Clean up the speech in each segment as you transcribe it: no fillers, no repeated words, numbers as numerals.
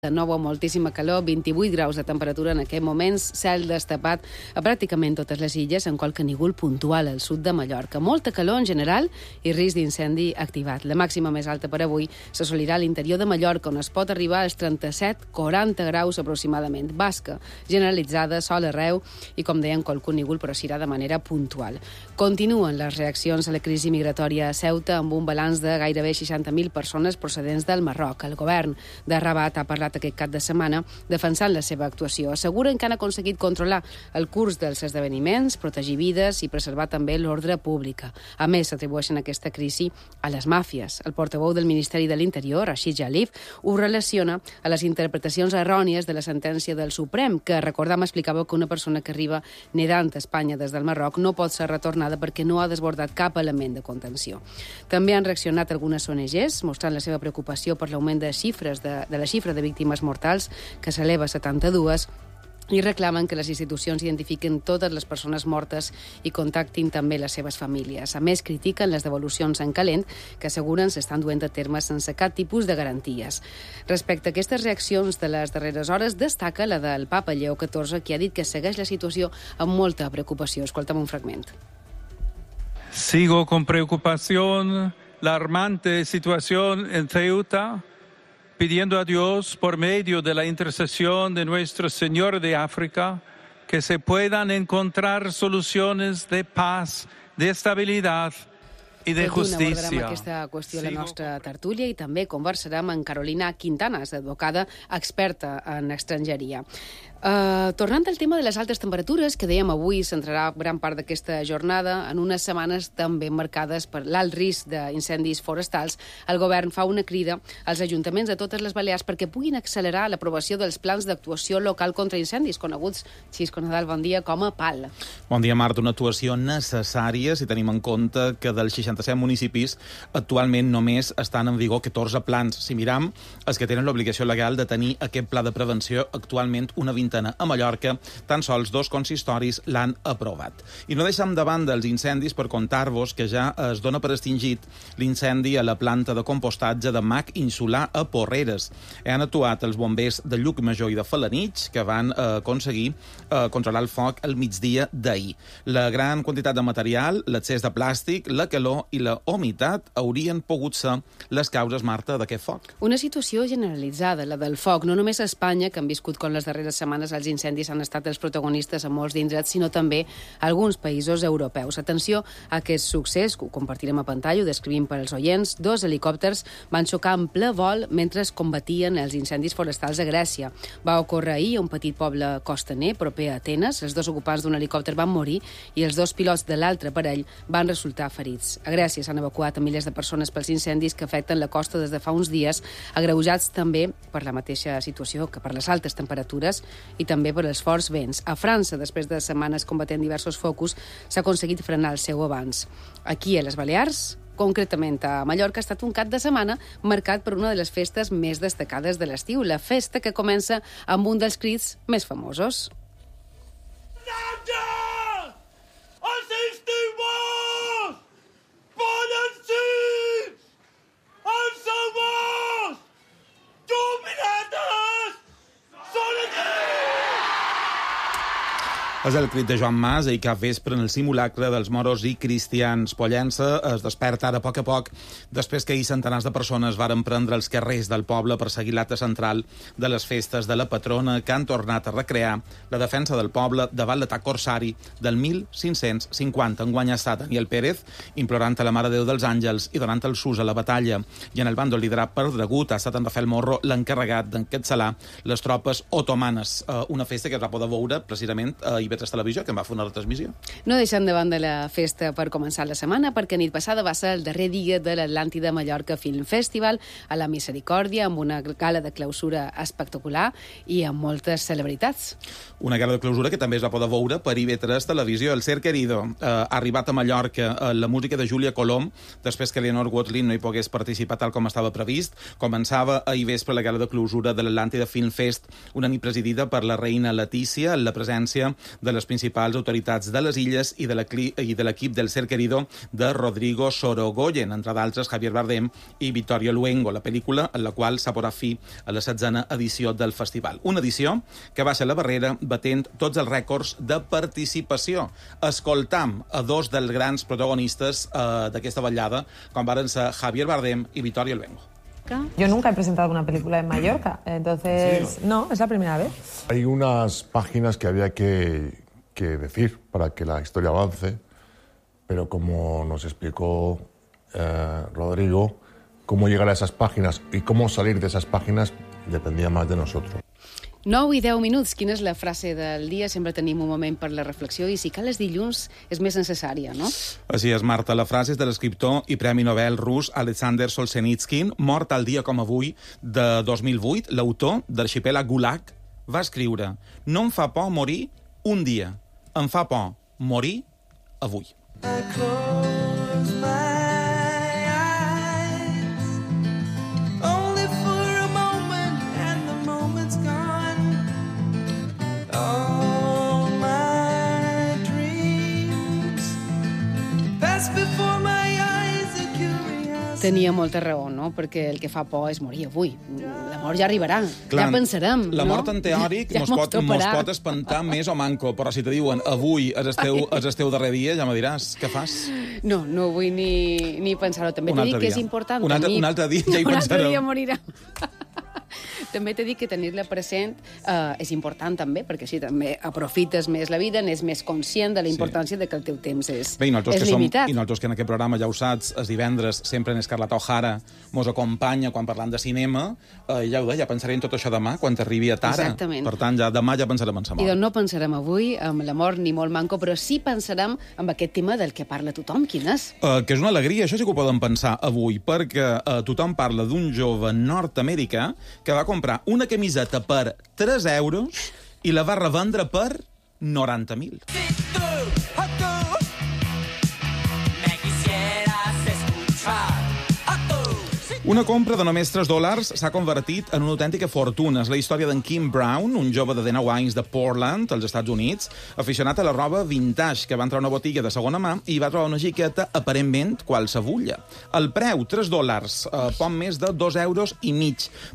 De nou amb moltíssima calor, 28 graus de temperatura en aquests moments, cel destapat a pràcticament totes les illes, en qualque nígol puntual al sud de Mallorca. Molta calor en general i risc d'incendi activat. La màxima més alta per avui s'assolirà a l'interior de Mallorca, on es pot arribar als 37-40 graus aproximadament. Basca generalitzada, sol arreu i, com deien, qualque nígol, però serà de manera puntual. Continuen les reaccions a la crisi migratòria a Ceuta, amb un balanç de gairebé 60.000 persones procedents del Marroc. El govern de Rabat ha parlat aquest cap de setmana defensant la seva actuació. Asseguren que han aconseguit controlar el curs dels esdeveniments, protegir vides i preservar també l'ordre pública. A més, s'atribueixen aquesta crisi a les màfies. El portaveu del Ministeri de l'Interior, Rachid Jalif, ho relaciona a les interpretacions errònies de la sentència del Suprem, que, recordam, explicava que una persona que arriba nedant a Espanya des del Marroc no pot ser retornada perquè no ha desbordat cap element de contenció. També han reaccionat algunes ONGs, mostrant la seva preocupació per l'augment de la xifra de víctimes mortals, que s'eleva a 72, i reclamen que les institucions identifiquen totes les persones mortes i contactin també les seves famílies. A més, critiquen les devolucions en calent, que asseguren s'estan duent a terme sense cap tipus de garanties. Respecte a aquestes reaccions de les darreres hores, destaca la del papa Lleó XIV, que ha dit que segueix la situació amb molta preocupació. Escolta'm un fragment. Sigo con preocupación la alarmante situación en Ceuta, pidiendo a Dios, por medio de la intercesión de Nuestro Señor de África, que se puedan encontrar soluciones de paz, de estabilidad i de justícia. Abordarem aquesta qüestió a la nostra tertúlia i també conversarem amb Carolina Quintanas, advocada experta en estrangeria. Tornant al tema de les altes temperatures, que dèiem avui centrarà gran part d'aquesta jornada, en unes setmanes també marcades per l'alt risc d'incendis forestals, el govern fa una crida als ajuntaments de totes les Balears perquè puguin accelerar l'aprovació dels plans d'actuació local contra incendis, coneguts, Xisco Nadal, bon dia, com a PAL. Bon dia, Marta. Una actuació necessària si tenim en compte que dels 67 municipis actualment només estan en vigor 14 plans. Si miram, els que tenen l'obligació legal de tenir aquest pla de prevenció, actualment una vintena. A Mallorca, tan sols 2 consistoris l'han aprovat. I no deixem de banda els incendis per contar-vos que ja es dona per extingit l'incendi a la planta de compostatge de Mac Insular a Porreres. Han actuat els bombers de Llucmajor i de Felanitx, que van aconseguir controlar el foc al migdia d'ahir. La gran quantitat de material, l'excés de plàstic, la calor i la humitat haurien pogut ser les causes, Marta, d'aquest foc. Una situació generalitzada, la del foc, no només a Espanya, que han viscut com les darreres setmanes els incendis han estat els protagonistes a molts d'indrets, sinó també a alguns països europeus. Atenció a aquest succés, que ho compartirem a pantalla, ho descrivim per als oients. 2 helicòpters van xocar en ple vol mentre es combatien els incendis forestals a Grècia. Va ocórrer ahir a un petit poble costaner, proper a Atenes. Els 2 ocupants d'un helicòpter van morir i els 2 pilots de l'altre parell van resultar ferits. A Grècia s'han evacuat a milers de persones pels incendis que afecten la costa des de fa uns dies, agreujats també per la mateixa situació que per les altes temperatures i també per els forts vents. A França, després de setmanes combatent diversos focus, s'ha aconseguit frenar el seu avanç. Aquí, a les Balears, concretament a Mallorca, ha estat un cap de setmana marcat per una de les festes més destacades de l'estiu, la festa que comença amb un dels crits més famosos. Els estimats poden ser els amors dominades són aquí! És el crit de Joan Mas ahir cap vespre en el simulacre dels moros i cristians. Pollença es desperta ara a poc, després que ahir centenars de persones varen prendre els carrers del poble per seguir l'acte central de les festes de la patrona, que han tornat a recrear la defensa del poble davant l'atac corsari del 1550. Enguany ha estat Daniel Pérez implorant a la Mare de Déu dels Àngels i donant el sus a la batalla. I en el bàndol liderat per Dragut ha estat en Rafael Morro l'encarregat d'encapçalar les tropes otomanes. Una festa que es va poder veure precisament a IB3 Televisió, que en va fer una retransmissió. No deixem de banda la festa per començar la setmana, perquè nit passada va ser el darrer dia de l'Atlàntida Mallorca Film Festival a la Misericòrdia, amb una gala de clausura espectacular i amb moltes celebritats. Una gala de clausura que també es va poder veure per IB3 Televisió. El Ser Querido ha arribat a Mallorca, la música de Júlia Colom, després que Leonor Watling no hi pogués participar tal com estava previst. Començava ahir vespre la gala de clausura de l'Atlàntida Film Fest, una nit presidida per la reina Letícia, en la presència de les principals autoritats de les illes i de l'equip del Ser Querido de Rodrigo Sorogoyen, entre d'altres Javier Bardem i Vittorio Luengo, la pel·lícula en la qual s'ha posat fi a la 16a edició del festival. Una edició que va ser la barrera batent tots els rècords de participació. Escoltam a dos dels grans protagonistes d'aquesta vetllada, com varen ser Javier Bardem y Vittorio Luengo. Yo nunca he presentado una película en Mallorca, entonces no, es la primera vez. Hay unas páginas que había que decir para que la historia avance, pero como nos explicó Rodrigo, cómo llegar a esas páginas y cómo salir de esas páginas dependía más de nosotros. 9 i 10 minuts. Quina és la frase del dia? Sempre tenim un moment per la reflexió i si cal els dilluns és més necessària, no? Així és, Marta. La frase és de l'escriptor i Premi Nobel rus Alexander Solzhenitsyn, mort al dia com avui de 2008. L'autor d'Arxipèlag Gulag va escriure: no em fa por morir un dia, em fa por morir avui. I close my eyes, only for a moment, and the moment's gone. All my dreams pass before my eyes, a curiosity. Tenia molta raó, no? Perquè el que fa por és morir avui. La mort ja arribarà, Clar, ja pensarem, la no? mort en teòric ja mos pot espantar més o manco, però si te diuen avui és el teu darrer dia, ja me diràs, què fas? No, no vull ni pensar-ho. També t'he dit que és important un altre dia ja hi un altre pensarem. dia morirà. També t'he dit que tenir-la present és important també, perquè així també aprofites més la vida, n'és més conscient de la importància de que el teu temps és limitat. I nosaltres que en aquest programa, ja ho saps, els divendres sempre en Escarlata O'Hara mos acompanya quan parlant de cinema, ja ho deia, pensaré en tot això demà, quan t'arribi a Tara. Exactament. Per tant, demà ja pensarem en sa mort. I doncs no pensarem avui amb la mort ni molt manco, però sí pensarem en aquest tema del que parla tothom. Quin és? Que és una alegria, això sí que ho poden pensar avui, perquè tothom parla d'un jove nord-americà que va comprar una camiseta per 3 euros i la va revendre per 90.000. Una compra de només $3 s'ha convertit en una autèntica fortuna. És la història d'en Kim Brown, un jove de 19 anys de Portland, als Estats Units, aficionat a la roba vintage, que va entrar a una botiga de segona mà i va trobar una jaqueta aparentment qualsevulla. El preu, $3, poc més de 2,5 euros.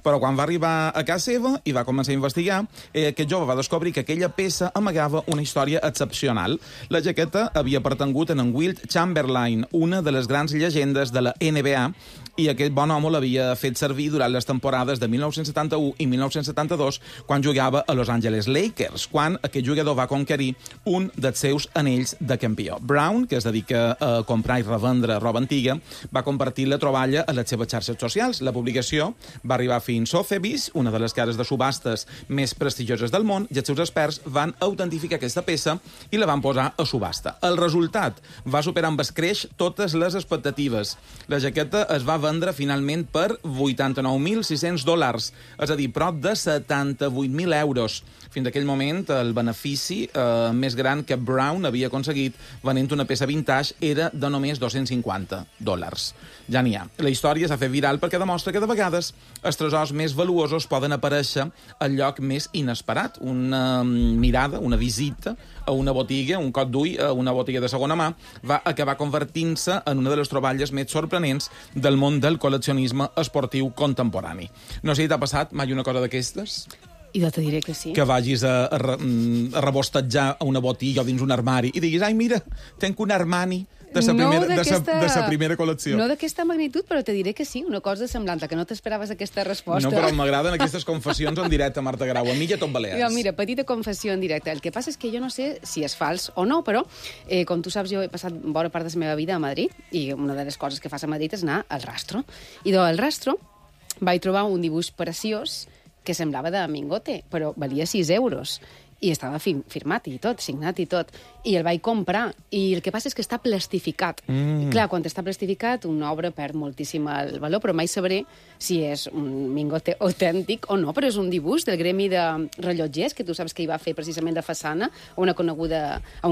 Però quan va arribar a casa seva i va començar a investigar, aquest jove va descobrir que aquella peça amagava una història excepcional. La jaqueta havia pertangut a en Wilt Chamberlain, una de les grans llegendes de la NBA, i aquest bon home l'havia fet servir durant les temporades de 1971 i 1972, quan jugava a Los Angeles Lakers, quan aquest jugador va conquerir un dels seus anells de campió. Brown, que es dedica a comprar i revendre roba antiga, va compartir la troballa a les seves xarxes socials. La publicació va arribar fins a Sotheby's, una de les cases de subhastes més prestigioses del món, i els seus experts van autentificar aquesta peça i la van posar a subhasta. El resultat va superar amb escreix totes les expectatives. La jaqueta es va vendre finalment per $89.600, és a dir, prop de 78.000 euros. Fins a aquell moment, el benefici més gran que Brown havia aconseguit venent una peça vintage era de només $250. Ja n'hi ha. La història s'ha fet viral perquè demostra que de vegades els tresors més valuosos poden aparèixer al lloc més inesperat. Una mirada, una visita a una botiga, un cop d'ull a una botiga de segona mà, va acabar convertint-se en una de les troballes més sorprenents del món del col·leccionisme esportiu contemporani. No sé si t'ha passat mai una cosa d'aquestes? I jo te diré que sí. Que vagis a rebostejar a una botiga o dins un armari i diguis, ai, mira, tenc un Armani de sa primera col·lecció. No d'aquesta magnitud, però te diré que sí, una cosa semblant, que no t'esperaves aquesta resposta. No, però m'agraden aquestes confessions en directe, Marta Grau. A mi ja tot balears. Jo, mira, petita confessió en directe. El que passa és que jo no sé si és fals o no, però, com tu saps, jo he passat bona part de la meva vida a Madrid, i una de les coses que fas a Madrid és anar al Rastro. I al Rastro vaig trobar un dibuix preciós que semblava de Mingote, però valia 6 euros. I estava firmat i tot, signat i tot. I el vaig comprar. I el que passa és que està plastificat. Clar, quan està plastificat, una obra perd moltíssim el valor, però mai sabré si és un Mingote autèntic o no, però és un dibuix del gremi de rellotgers, que tu saps que hi va fer precisament de façana a un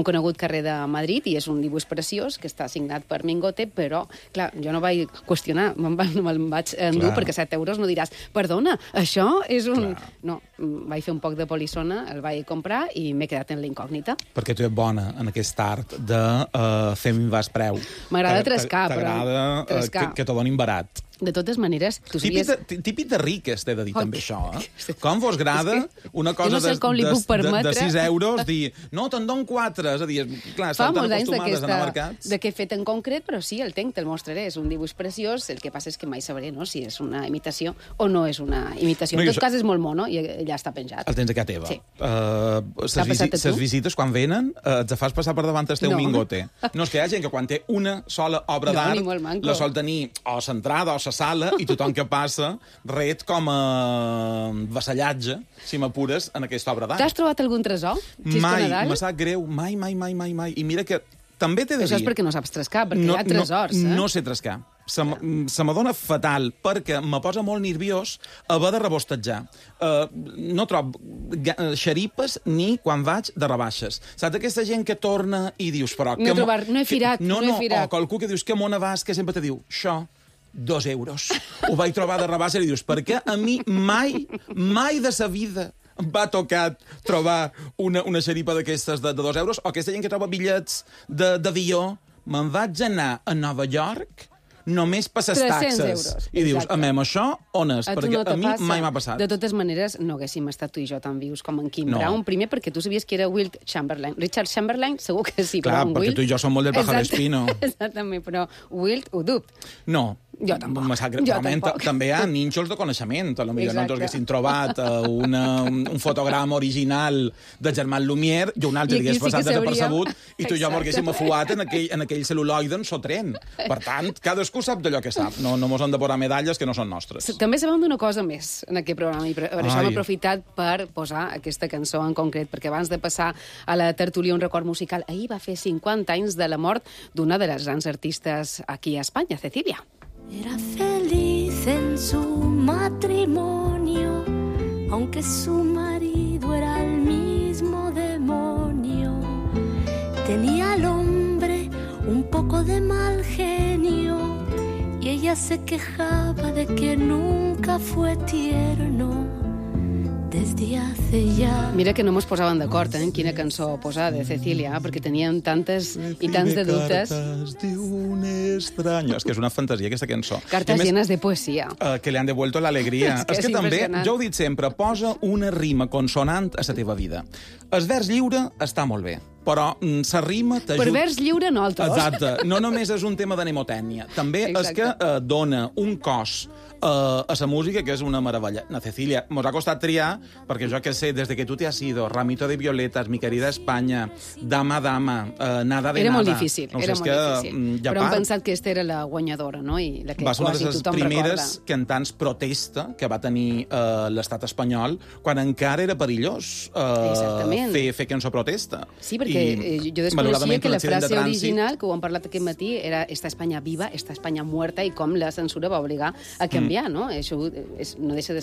conegut carrer de Madrid, i és un dibuix preciós que està signat per Mingote, però, clar, jo no vaig qüestionar, me'l vaig endur, perquè 7 euros no diràs, perdona, això és un... Clar. No, vaig fer un poc de polissona, el vaig comprar comprar i m'he quedat en la incògnita. Perquè tu ets bona en aquest art de fer minvar el preu. M'agrada trescar, però... T'agrada trescar. que t'ho donin barat. De totes maneres, tu sabies... Típic de riques, t'he de dir també això. Sí. Com vos grada una cosa no sé com li puc permetre. de 6 euros, dir, no, te'n dono 4. És a dir, clar, Fa estan tan molts anys acostumades a anar a mercats. de què he fet en concret, però sí, el tenc, te'l mostraré. És un dibuix preciós, el que passa és que mai sabré, no?, si és una imitació o no és una imitació. En tot cas, és molt mono i ja està penjat. El tens a casa teva. Sí. T'ha passat a tu? Les visites, quan venen, et fas passar per davant el teu mingote. No, és que hi ha gent que quan té una sola obra d'art, la sol tenir o a l'entrada o a la sala, i tothom que passa ret com a vassallatge, si m'apures, en aquesta obra d'art. T'has trobat algun tresor? Mai, me sap greu, mai. I mira que també t'he de dir... Això és perquè no saps trescar, perquè hi ha tresors, No sé trescar. Se m'adona fatal, perquè me posa molt nerviós haver de rebostejar. No trobo xeripes ni quan vaig de rebaixes. Saps aquesta gent que torna i dius... Però, no he firat. O qualcú que dius que mona vas, que sempre te diu, això, 2 euros. Ho vaig trobar de rebaixa i dius, perquè a mi mai de sa vida m'ha tocat trobar una xeripa d'aquestes de 2 euros, o aquesta gent que troba bitllets d'avió. Me'n vaig anar a Nova York només per les taxes. I dius, això on és? Perquè a mi mai m'ha passat. De totes maneres, no haguéssim estat tu i jo tan vius com en Kim Brown. Primer, perquè tu sabies que era Wilt Chamberlain. Richard Chamberlain, segur que sí, clar, però en perquè Wilt... tu i jo som molt del Pájaro Espino. Exactament, però Wilt ho dubto. No. Jo tampoc. També hi ha nínxols de coneixement. Potser no ens haguéssim trobat un fotograma original de Germán Lumière i un altre hagués passat desapercebut i tu i jo m'haguéssim afuat en aquell cel·luloide en sotren. Per tant, cadascú sap d'allò que sap. No mos han de posar medalles que no són nostres. També sabem d'una cosa més en aquest programa i per això hem aprofitat per posar aquesta cançó en concret, perquè abans de passar a la tertúlia un record musical, ahir va fer 50 anys de la mort d'una de les grans artistes aquí a Espanya, Cecilia. Era feliz en su matrimonio, aunque su marido era el mismo demonio. Tenía al hombre un poco de mal genio y ella se quejaba de que nunca fue tierno. Desde hace ya... Mira que no mos posaven d'acord en quina cançó posar de Cecilia, perquè teníem tantes i tants de dubtes. És que és una fantasia, aquesta cançó. Cartes llenes de poesia. Que li han devuelto l'alegria. És que també, jo ho he dit sempre, posa una rima consonant a la teva vida. El vers lliure està molt bé, però la rima t'ajuda... Per vers lliure, nosaltres. Exacte. No només és un tema de mnemotècnia. També és que dona un cos a la música, que és una meravella. Na Cecilia, mos ha costat triar, perquè jo que sé, des de que tu te has ido, Ramito de violetas, Mi querida España, Dama, Nada de Nada... Era molt difícil, però hem pensat que aquesta era la guanyadora, no? I la que va ser una de les primeres recorda. cantants protesta que va tenir l'estat espanyol quan encara era perillós fer cançó protesta. Sí, perquè jo desconeixia que la frase original, que ho hem parlat aquest matí, era «Esta España viva, esta España muerta», i com la censura va obligar a canviar, no? Això no deixa de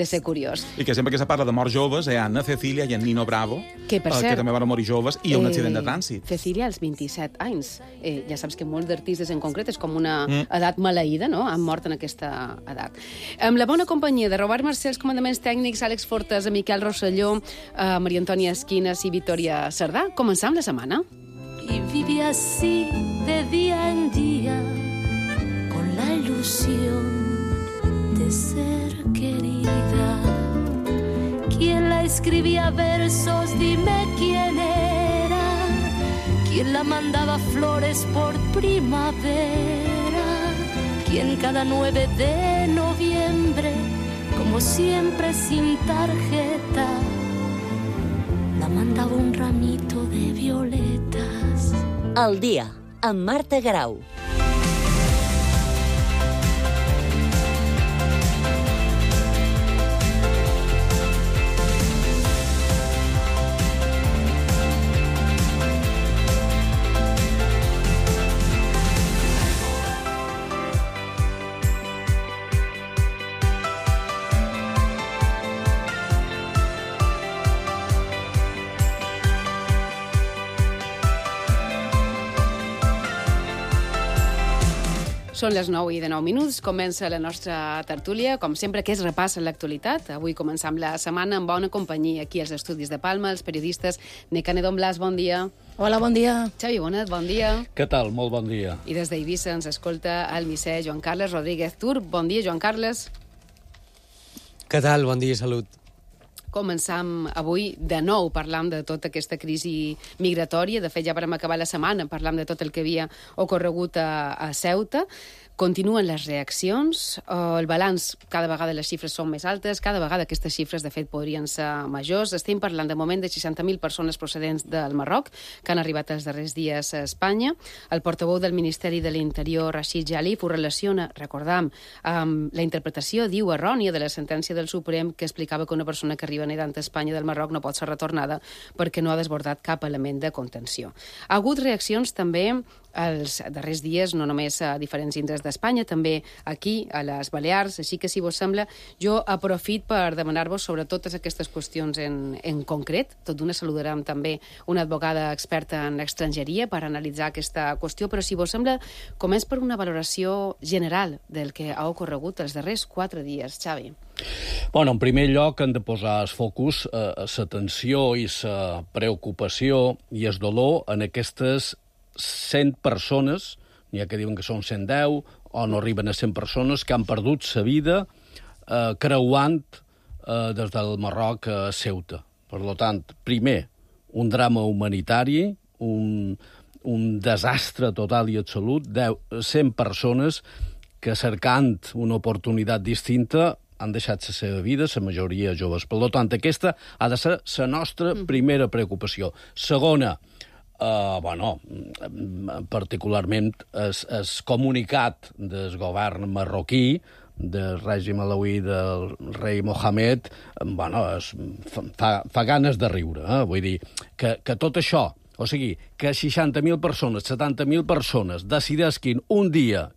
ser curiós. I que sempre que se parla de morts joves, hi ha Ana Cecilia i en Nino Bravo, que també van morir joves, i un accident de trànsit. Cecilia, als 27 anys. Ja saps que molts d'artistes en concret és com una edat maleïda, no? Han mort en aquesta edat. Amb la bona companyia de Robert Mercè, els comandaments tècnics, Àlex Fortes, Miquel Rosselló, Maria Antònia Esquinas i Victòria Cerdà, començam la setmana. Y vive así de día en día, con la ilusión de ser querida. ¿Quién la escribía versos? Dime quién era. ¿Quién la mandaba flores por primavera? ¿Quién cada 9 de noviembre, como siempre sin tarjeta, la mandava un ramito de violetas? Al dia, amb Marta Grau. Són les 9:09. Comença la nostra tertúlia, com sempre, que és repàs a l'actualitat. Avui començam la setmana amb bona companyia aquí als estudis de Palma, els periodistes Necanedo Blas, bon dia. Hola, bon dia. Xavi Bonet, bon dia. Què tal? Molt bon dia. I des d'Eivissa ens escolta el misser Joan Carles Rodríguez Tur. Bon dia, Joan Carles. Què tal? Bon dia i salut. Començam avui de nou parlant de tota aquesta crisi migratòria. De fet, ja vam acabar la setmana parlant de tot el que havia ocorregut a Ceuta. Continuen les reaccions, el balanç, cada vegada les xifres són més altes, cada vegada aquestes xifres, de fet, podrien ser majors. Estem parlant de moment de 60.000 persones procedents del Marroc que han arribat els darrers dies a Espanya. El portaveu del Ministeri de l'Interior, Rachid Jalif, ho relaciona, recordam, amb la interpretació, diu, errònia de la sentència del Suprem que explicava que una persona que arriba nedant a Espanya del Marroc no pot ser retornada perquè no ha desbordat cap element de contenció. Ha hagut reaccions també els darrers dies, no només a diferents indrets d'Espanya, també aquí, a les Balears, així que, si vos sembla, jo aprofit per demanar-vos sobre totes aquestes qüestions en concret. Tot d'una saludarem també una advocada experta en estrangeria per analitzar aquesta qüestió, però si vos sembla, començ per una valoració general del que ha ocorregut els darrers 4 dies. Xavi. Bueno, en primer lloc hem de posar el focus l'atenció i la preocupació i el dolor en aquestes 100 persones, n'hi ha que diuen que són 110, o no arriben a 100 persones, que han perdut la vida creuant des del Marroc a Ceuta. Per tant, primer, un drama humanitari, un desastre total i absolut, 100 persones que, cercant una oportunitat distinta, han deixat la seva vida, la majoria joves. Per tant, aquesta ha de ser la nostra primera preocupació. Segona, particularment el comunicat del govern marroquí, del règim alauí del rei Mohamed, fa ganes de riure. Vull dir que tot això, o sigui, que 60.000 persones, 70.000 persones decidisquin un dia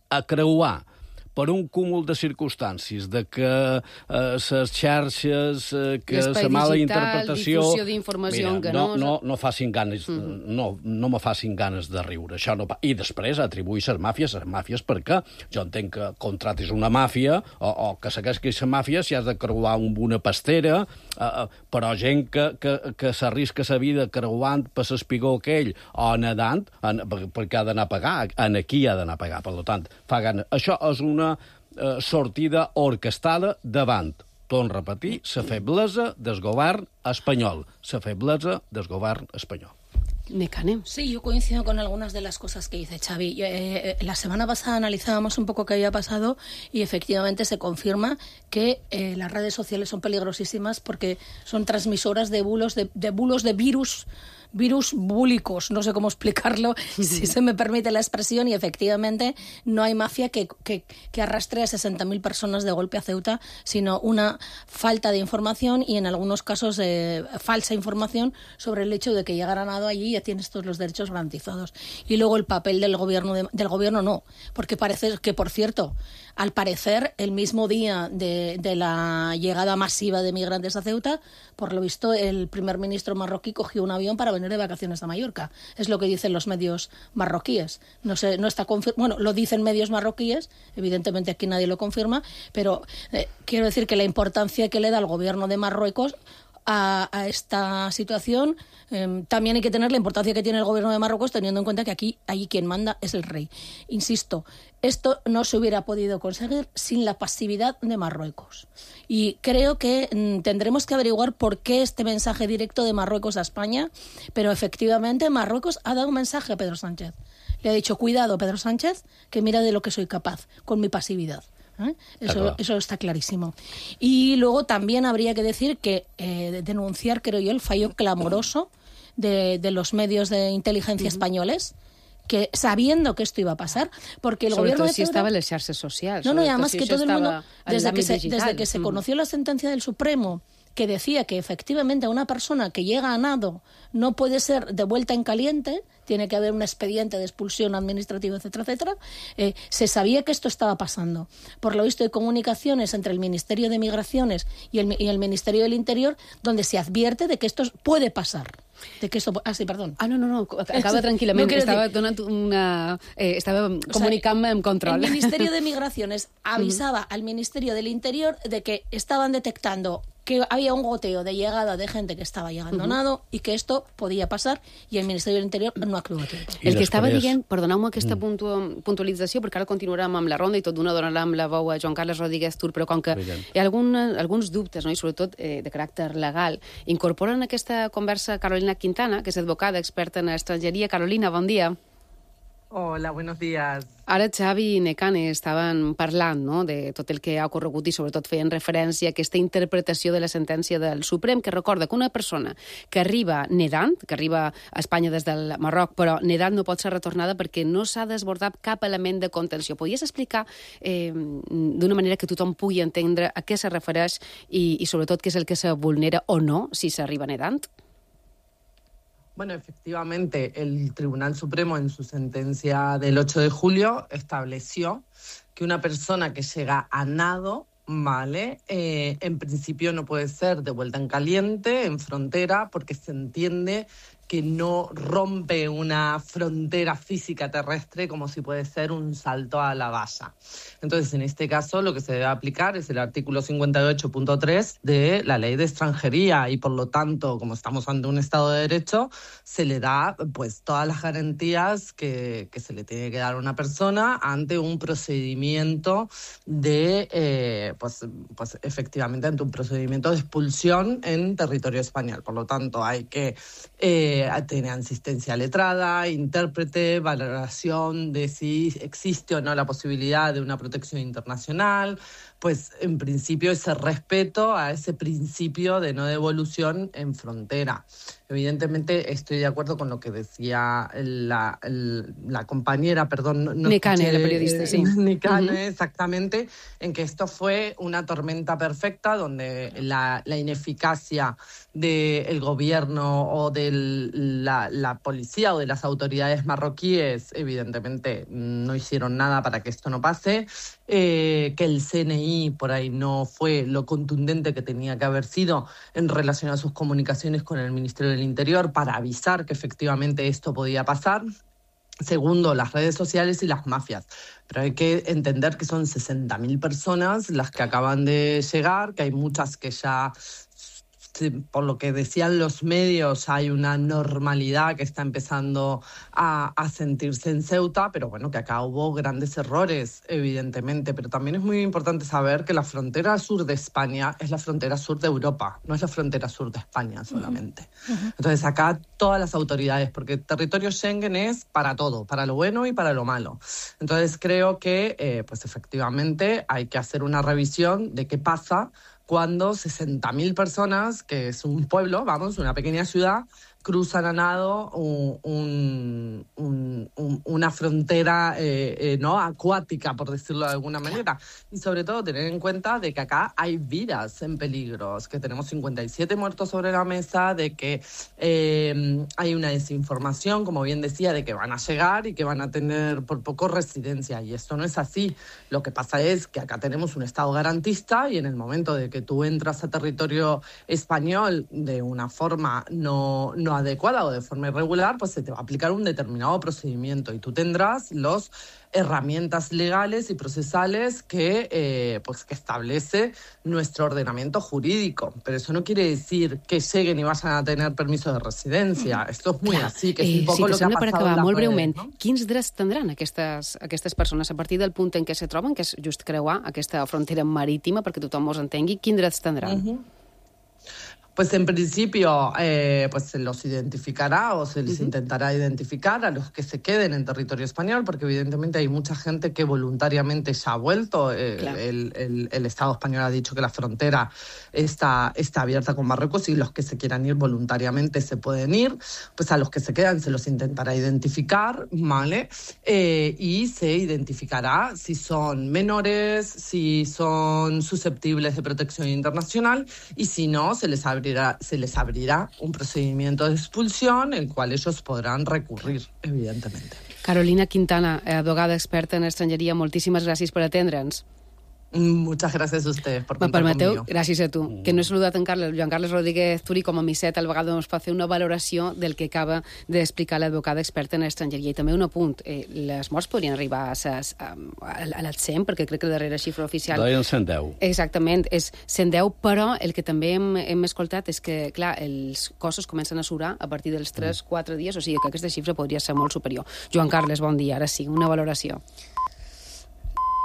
a creuar per un cúmul de circumstàncies, de que les xarxes, que la mala interpretació... Difusió d'informació enganosa... No facin ganes, no me facin ganes de riure. Això no... I després atribuir les màfies perquè jo entenc que contratis una màfia o que segueixis la màfia si has de creuar amb una pastera, però gent que s'arrisca la vida creuant per l'espigó aquell o nedant, perquè ha d'anar a pagar, aquí ha d'anar a pagar. Per tant, fa ganes. Això és una sortida orquestada davant, torno a repetir, la feblesa del govern espanyol. La feblesa del govern espanyol. Sí, yo coincido con algunas de las cosas que dice Xavi. La semana pasada analizábamos un poco qué había pasado y efectivamente se confirma que las redes sociales son peligrosísimas porque son transmisoras de bulos de virus búlicos, no sé cómo explicarlo, si se me permite la expresión, y efectivamente no hay mafia que arrastre a 60.000 personas de golpe a Ceuta, sino una falta de información y en algunos casos falsa información sobre el hecho de que llegar a nado allí ya tienes todos los derechos garantizados. Y luego el papel del gobierno no, porque parece que, por cierto, al parecer, el mismo día de la llegada masiva de migrantes a Ceuta, por lo visto, el primer ministro marroquí cogió un avión para venir de vacaciones a Mallorca. Es lo que dicen los medios marroquíes. No sé, no está bueno, lo dicen medios marroquíes, evidentemente aquí nadie lo confirma, pero quiero decir que la importancia que le da el gobierno de Marruecos a esta situación, también hay que tener la importancia que tiene el gobierno de Marruecos, teniendo en cuenta que allí quien manda es el rey. Insisto, esto no se hubiera podido conseguir sin la pasividad de Marruecos. Y creo que tendremos que averiguar por qué este mensaje directo de Marruecos a España, pero efectivamente Marruecos ha dado un mensaje a Pedro Sánchez. Le ha dicho, cuidado, Pedro Sánchez, que mira de lo que soy capaz con mi pasividad. Eso está clarísimo. Y luego también habría que decir que denunciar, creo yo, el fallo clamoroso de los medios de inteligencia españoles, que sabiendo que esto iba a pasar, porque el gobierno de Pedro... estava en les xarxes socials. No, y además que todo el mundo, desde que se conoció la sentencia del Supremo que decía que efectivamente una persona que llega a nado no puede ser devuelta en caliente, tiene que haber un expediente de expulsión administrativa, etcétera, etcétera. Se sabía que esto estaba pasando. Por lo visto hay comunicaciones entre el Ministerio de Migraciones y el Ministerio del Interior donde se advierte de que esto puede pasar. De que esto... Ah, sí, perdón. No, acaba tranquil·lament. No estava donant estava comunicant-me amb control. El Ministerio de Migraciones avisaba al Ministerio del Interior de que estaban detectando que había un goteo de llegada de gente que estava llegando a nado i que esto podia passar i el Ministeri de l'Interior no actua a temps. El que estava dient, perdoneu-me aquesta puntualització, perquè ara continuarem amb la ronda i tot d'una donarem la veu a Joan Carles Rodríguez Tur, però com que hi ha alguns dubtes, no? I sobretot de caràcter legal, incorporen aquesta conversa Carolina Quintana, que és advocada, experta en estrangeria. Carolina, bon dia. Hola, buenos días. Ara Xavi i Nekane estaven parlant, no?, de tot el que ha ocorregut i sobretot feien referència a aquesta interpretació de la sentència del Suprem, que recorda que una persona que arriba nedant, que arriba a Espanya des del Marroc, però nedant no pot ser retornada perquè no s'ha desbordat cap element de contenció. Podries explicar d'una manera que tothom pugui entendre a què se refereix i sobretot què és el que se vulnera o no si s'arriba nedant? Bueno, efectivamente, el Tribunal Supremo en su sentencia del 8 de julio estableció que una persona que llega a nado, ¿vale? En principio no puede ser devuelta en caliente, en frontera, porque se entiende que no rompe una frontera física terrestre como si puede ser un salto a la valla. Entonces, en este caso, lo que se debe aplicar es el artículo 58.3 de la Ley de Extranjería y, por lo tanto, como estamos ante un Estado de Derecho, se le da pues todas las garantías que se le tiene que dar a una persona ante un procedimiento de, pues efectivamente, ante un procedimiento de expulsión en territorio español. Por lo tanto, hay que tener asistencia letrada, intérprete, valoración de si existe o no la posibilidad de una protección internacional, pues en principio ese respeto a ese principio de no devolución en frontera. Evidentemente estoy de acuerdo con lo que decía la compañera, perdón, Nekane, la periodista, sí. Nekane, exactamente, en que esto fue una tormenta perfecta donde la ineficacia del gobierno o de la policía o de las autoridades marroquíes, evidentemente no hicieron nada para que esto no pase, que el CNI por ahí no fue lo contundente que tenía que haber sido en relación a sus comunicaciones con el Ministerio del Interior para avisar que efectivamente esto podía pasar. Segundo, las redes sociales y las mafias. Pero hay que entender que son 60.000 personas las que acaban de llegar, que hay muchas que ya, por lo que decían los medios, hay una normalidad que está empezando a sentirse en Ceuta, pero bueno, que acá hubo grandes errores, evidentemente. Pero también es muy importante saber que la frontera sur de España es la frontera sur de Europa, no es la frontera sur de España solamente. Entonces acá todas las autoridades, porque el territorio Schengen es para todo, para lo bueno y para lo malo. Entonces creo que pues efectivamente hay que hacer una revisión de qué pasa cuando 60.000 personas, que es un pueblo, vamos, una pequeña ciudad, cruzan a nado una frontera no acuática, por decirlo de alguna manera. Y sobre todo tener en cuenta de que acá hay vidas en peligro, que tenemos 57 muertos sobre la mesa, de que hay una desinformación, como bien decía, de que van a llegar y que van a tener por poco residencia. Y esto no es así. Lo que pasa es que acá tenemos un Estado garantista y en el momento de que tú entras a territorio español de una forma no adecuada o de forma irregular, pues se te va a aplicar un determinado procedimiento y tú tendrás las herramientas legales y procesales que establece nuestro ordenamiento jurídico. Pero eso no quiere decir que lleguen y vayan a tener permiso de residencia. Esto es muy así, que es un poco lo que ha passat per acabar, molt breument, no? Quins drets tindran aquestes persones a partir del punt en què se troben, que és just creuar aquesta frontera marítima, perquè tothom us entengui, quins drets tindran? Pues en principio pues se los identificará o se les intentará identificar a los que se queden en territorio español, porque evidentemente hay mucha gente que voluntariamente ya ha vuelto. Claro. El Estado español ha dicho que la frontera está abierta con Marruecos y los que se quieran ir voluntariamente se pueden ir. Pues a los que se quedan se los intentará identificar, ¿vale? Y se identificará si son menores, si son susceptibles de protección internacional y si no, se les abrirá un procedimiento de expulsión el cual ellos podrán recurrir, evidentemente. Carolina Quintana, advogada experta en estrangeria, moltíssimes gràcies per atendre'ns. Muchas gracias a ustedes por Me contar permeteu, conmigo. gràcies a tu, que no he saludat en Joan Carles Rodríguez Turi com a misset, al vegada ens pot fer una valoració del que acaba d'explicar l'advocada experta en estrangeria. I també un apunt, les morts podrien arribar a les 100, perquè crec que la darrera xifra oficial... Deien 110. Exactament, és 110, però el que també hem escoltat és que, clar, els cossos comencen a surar a partir dels 3-4 dies, o sigui que aquesta xifra podria ser molt superior. Joan Carles, bon dia, ara sí, una valoració.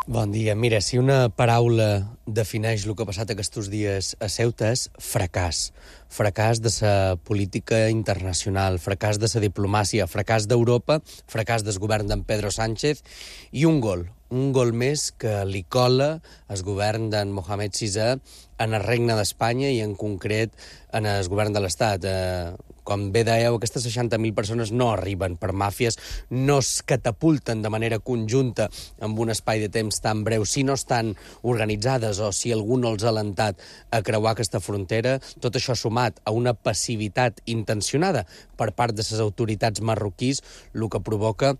Bon dia. Mira, si una paraula defineix el que ha passat aquests dies a Ceuta és fracàs. Fracàs de la política internacional, fracàs de la diplomàcia, fracàs d'Europa, fracàs del govern d'en Pedro Sánchez i un gol més que li cola el govern d'en Mohamed VI en el Regne d'Espanya i en concret en el govern de l'Estat. Com bé dèieu, aquestes 60.000 persones no arriben per màfies, no es catapulten de manera conjunta amb un espai de temps tan breu, si no estan organitzades o si algú no els ha alentat a creuar aquesta frontera. Tot això sumat a una passivitat intencionada per part de les autoritats marroquís, el que provoca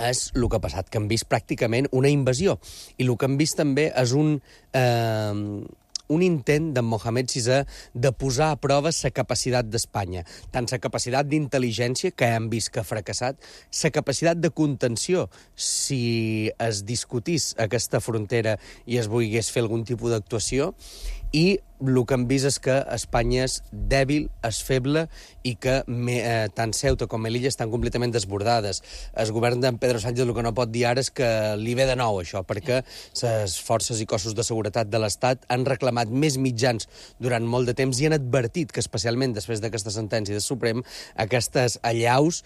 és el que ha passat, que han vist pràcticament una invasió. I el que han vist també és un intent d'en Mohamed VI de posar a prova la capacitat d'Espanya, tant la capacitat d'intel·ligència, que hem vist que ha fracassat, la capacitat de contenció, si es discutís aquesta frontera i es volgués fer algun tipus d'actuació, i el que hem vist és que Espanya és dèbil, és feble i que tant Ceuta com Melilla estan completament desbordades. El govern d'en Pedro Sánchez el que no pot dir ara és que li ve de nou això, perquè les forces i cossos de seguretat de l'Estat han reclamat més mitjans durant molt de temps i han advertit que, especialment després d'aquesta sentència del Suprem, aquestes allaus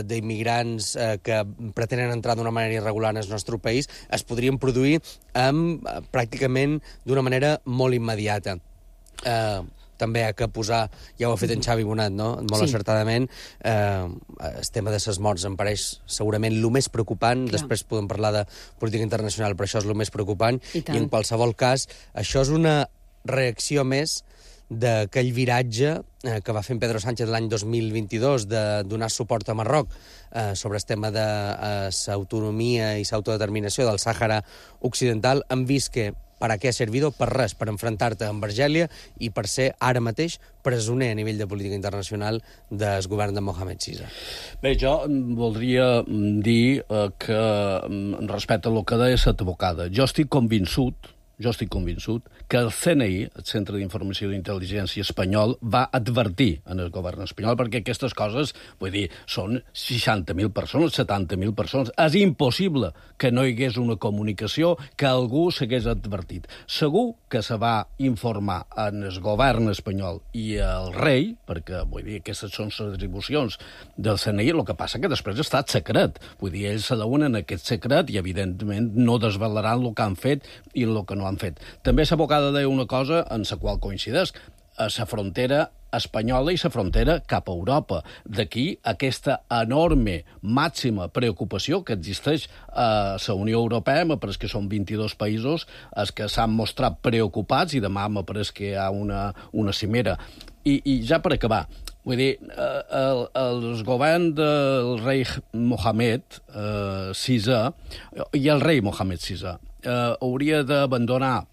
d'immigrants que pretenen entrar d'una manera irregular en el nostre país es podrien produir pràcticament d'una manera molt immediata. També ha que posar, ja ho ha fet en Xavi Bonat, no? Molt encertadament, el tema de les morts em pareix segurament el més preocupant. Després podem parlar de política internacional, però això és el més preocupant. I en qualsevol cas, això és una reacció més d'aquell viratge que va fer Pedro Sánchez l'any 2022 de donar suport a Marroc sobre el tema de l'autonomia i l'autodeterminació del Sàhara Occidental. Hem vist que per a què ha servido? Per res, per enfrontar-te amb Argèlia i per ser ara mateix presoner a nivell de política internacional del govern de Mohamed VI. Bé, jo voldria dir que respecte al que deia l'advocada, jo estic convençut que el CNI, el Centre d'Informació d'Intel·ligència espanyol, va advertir en el govern espanyol, perquè aquestes coses, vull dir, són 60.000 persones, 70.000 persones. És impossible que no hi hagués una comunicació que algú s'hagués advertit. Segur que se va informar en el govern espanyol i el rei, perquè, vull dir, aquestes són les atribucions del CNI, el que passa que després ha estat secret. Vull dir, ells s'adeuen en aquest secret i, evidentment, no desvelaran el que han fet i el que no han fet. També l'advocada deia una cosa en la qual coincideix, a la frontera espanyola i la frontera cap a Europa. D'aquí aquesta enorme, màxima preocupació que existeix a la Unió Europea. M'apareix que són 22 països els que s'han mostrat preocupats i demà m'apareix que hi ha una cimera. I ja per acabar, vull dir, el govern del rei Mohamed VI i el rei Mohamed VI hauria d'abandonar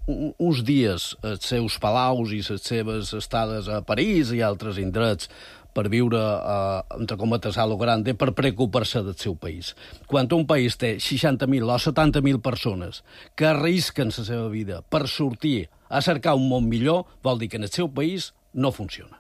uns dies els seus palaus i les seves estades a París i altres indrets per viure, entre cometes, a lo grande, per preocupar-se del seu país. Quan un país té 60.000 o 70.000 persones que arrisquen la seva vida per sortir a cercar un món millor, vol dir que en el seu país no funciona.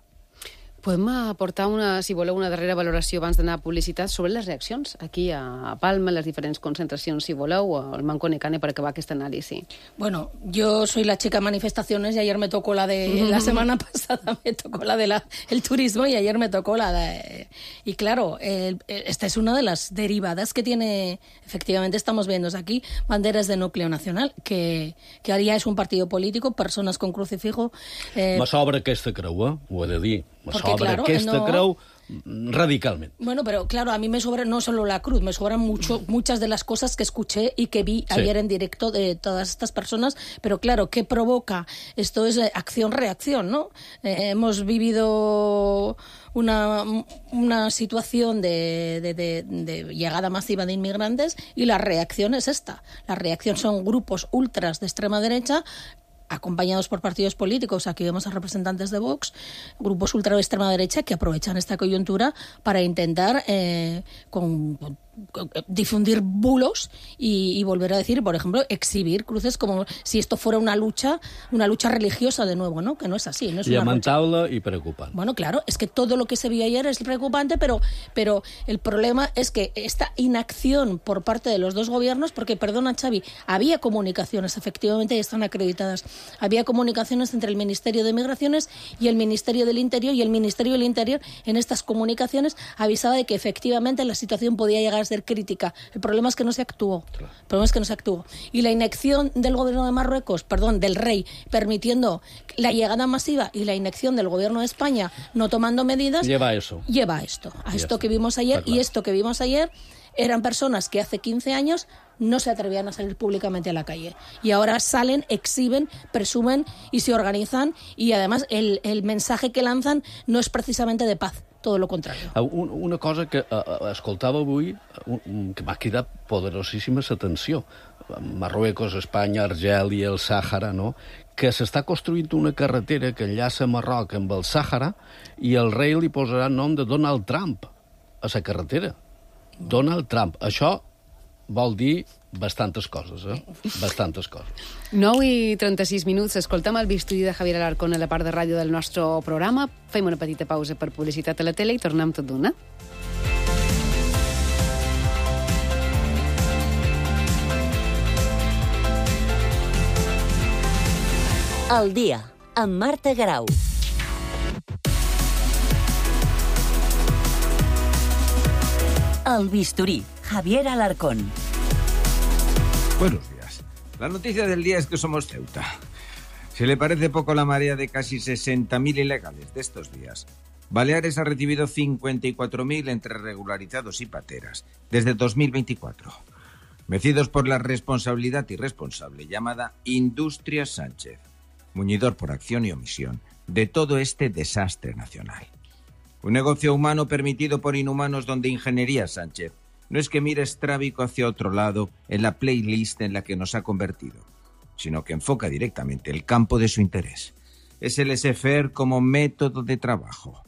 Podem aportar, si voleu, una darrera valoració abans d'anar a publicitat sobre les reaccions aquí a Palma, les diferents concentracions, si voleu, o al Manco Necane per acabar aquesta anàlisi. Bueno, yo soy la chica manifestaciones y ayer me tocó la la semana pasada me tocó la de el turismo y ayer me tocó la de... Y claro, esta es una de las derivadas que tiene, efectivamente estamos viendo aquí, banderas de núcleo nacional, que haría es un partido político, personas con crucifijo... Me sobra aquesta creu, ho he de dir. Me Porque, sobra claro, aquesta creu radicalmente. Bueno, pero claro, a mí me sobra no solo la cruz, me sobran muchas de las cosas que escuché y que vi ayer en directo de todas estas personas, pero claro, ¿qué provoca? Esto es acción-reacción, ¿no? Hemos vivido una situación de llegada masiva de inmigrantes y la reacción es esta. La reacción son grupos ultras de extrema derecha acompañados por partidos políticos, aquí vemos a representantes de Vox, grupos ultra de extrema derecha que aprovechan esta coyuntura para intentar difundir bulos y volver a decir, por ejemplo, exhibir cruces como si esto fuera una lucha religiosa de nuevo, ¿no? Que no es así. No es lamentable y preocupante. Bueno, claro, es que todo lo que se vio ayer es preocupante, pero el problema es que esta inacción por parte de los dos gobiernos, porque, perdona, Xavi, había comunicaciones, efectivamente, y están acreditadas, había comunicaciones entre el Ministerio de Migraciones y el Ministerio del Interior, y el Ministerio del Interior en estas comunicaciones avisaba de que efectivamente la situación podía llegar a ser crítica. El problema es que no se actuó. Y la inacción del gobierno de Marruecos, del rey, permitiendo la llegada masiva, y la inacción del gobierno de España no tomando medidas, lleva a esto que vimos ayer. Y esto que vimos ayer eran personas que hace 15 años no se atrevían a salir públicamente a la calle. Y ahora salen, exhiben, presumen y se organizan, y además el mensaje que lanzan no és precisamente de paz, todo lo contrario. Una cosa que escoltava avui que m'ha cridat poderosíssima l'atenció. Marruecos, Espanya, Argèlia, el Sàhara, no? Que s'està construint una carretera que enllaça Marroc amb el Sàhara i el rei li posarà nom de Donald Trump a la carretera. Donald Trump. Això vol dir bastantes coses, Bastantes coses. 9:36, escoltem el bisturí de Javier Alarcón a la part de ràdio del nostre programa. Fem una petita pausa per publicitat a la tele i tornem tot d'una. El dia, amb Marta Grau. El bisturí, Javier Alarcón. Buenos días. La noticia del día es que somos Ceuta. ¿Se le parece poco la marea de casi 60.000 ilegales de estos días? Baleares ha recibido 54.000 entre regularizados y pateras desde 2024. Mecidos por la responsabilidad irresponsable llamada Industria Sánchez, muñidor por acción y omisión de todo este desastre nacional. Un negocio humano permitido por inhumanos donde Ingeniería Sánchez no es que mire estrábico hacia otro lado en la playlist en la que nos ha convertido, sino que enfoca directamente el campo de su interés. Es el laissez-faire como método de trabajo.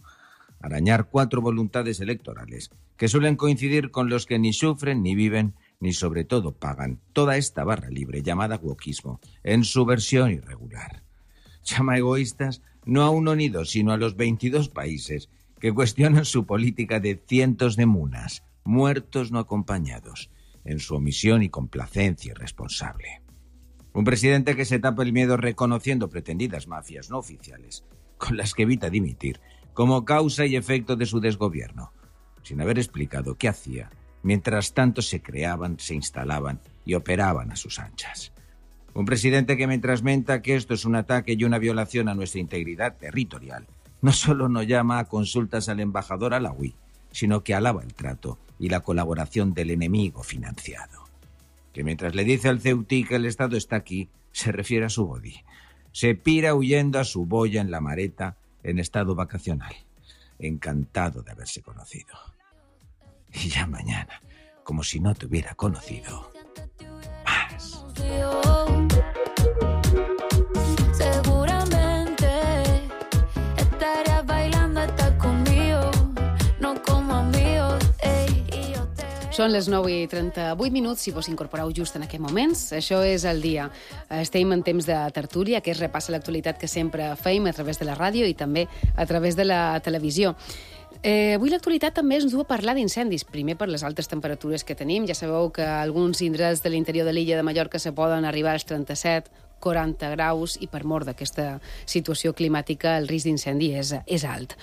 Arañar 4 voluntades electorales que suelen coincidir con los que ni sufren, ni viven, ni sobre todo pagan toda esta barra libre llamada wokismo en su versión irregular. Llama egoístas no a uno ni dos, sino a los 22 países que cuestionan su política de cientos de munas, muertos no acompañados, en su omisión y complacencia irresponsable. Un presidente que se tapa el miedo reconociendo pretendidas mafias no oficiales, con las que evita dimitir, como causa y efecto de su desgobierno, sin haber explicado qué hacía, mientras tanto se creaban, se instalaban y operaban a sus anchas. Un presidente que mientras menta que esto es un ataque y una violación a nuestra integridad territorial, no solo no llama a consultas al embajador Alawi, sino que alaba el trato y la colaboración del enemigo financiado. Que mientras le dice al ceutí que el Estado está aquí, se refiere a su body. Se pira huyendo a su boya en la Mareta en estado vacacional. Encantado de haberse conocido. Y ya mañana, como si no te hubiera conocido, más. Són les 9:38, si vos incorporeu just en aquests moments. Això és el dia. Estem en temps de tertúlia, que es repassa l'actualitat que sempre feim a través de la ràdio i també a través de la televisió. Avui l'actualitat també ens du a parlar d'incendis. Primer, per les altes temperatures que tenim. Ja sabeu que alguns indrets de l'interior de l'illa de Mallorca se poden arribar als 37-40 graus i per mort d'aquesta situació climàtica el risc d'incendi és alt.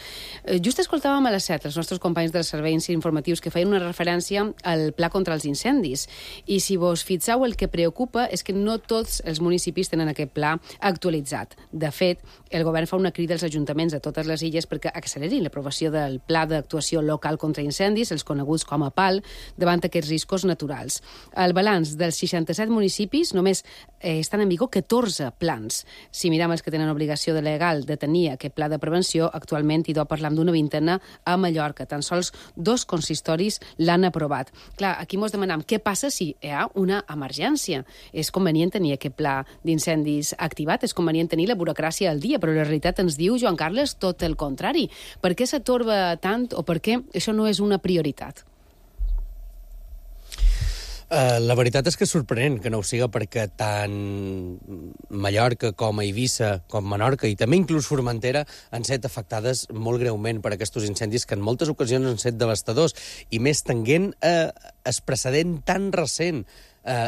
Just escoltàvem a les 7 els nostres companys dels serveis informatius que feien una referència al pla contra els incendis i si vos fixeu el que preocupa és que no tots els municipis tenen aquest pla actualitzat. De fet, el govern fa una crida als ajuntaments de totes les illes perquè accelerin l'aprovació del pla d'actuació local contra incendis, els coneguts com a PAL, davant aquests riscos naturals. El balanç dels 67 municipis només estan en vigor 14 plans. Si mirem els que tenen obligació legal de tenir aquest pla de prevenció, actualment hi deu parlar d'una vintena a Mallorca. Tan sols 2 consistoris l'han aprovat. Clar, aquí mos demanem què passa si hi ha una emergència. És convenient tenir aquest pla d'incendis activat, és convenient tenir la burocràcia al dia, però la realitat ens diu, Joan Carles, tot el contrari. Per què s'atorba tant o per què això no és una prioritat? La veritat és que és sorprenent que no ho siga perquè tant Mallorca com Eivissa, com Menorca i també inclús Formentera han set afectades molt greument per aquests incendis que en moltes ocasions han set devastadors i més tenint el precedent tan recent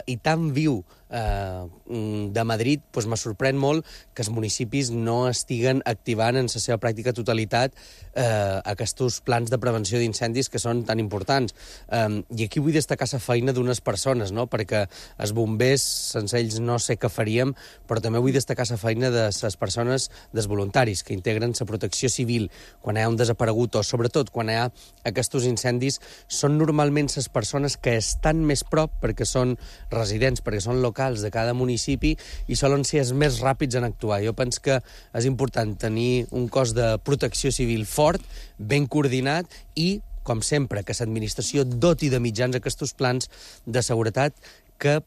i tan viu de Madrid, doncs me sorprèn molt que els municipis no estiguen activant en la seva pràctica totalitat aquests plans de prevenció d'incendis que són tan importants. I aquí vull destacar la feina d'unes persones, no? Perquè els bombers, sense ells no sé què faríem, però també vull destacar la feina de les persones, dels voluntaris, que integren la protecció civil quan hi ha un desaparegut o sobretot quan hi ha aquests incendis, són normalment les persones que estan més prop perquè són residents, perquè són locals de cada municipi i solen ser els més ràpids en actuar. Jo penso que és important tenir un cos de protecció civil fort, ben coordinat i, com sempre, que l'administració doti de mitjans aquests plans de seguretat que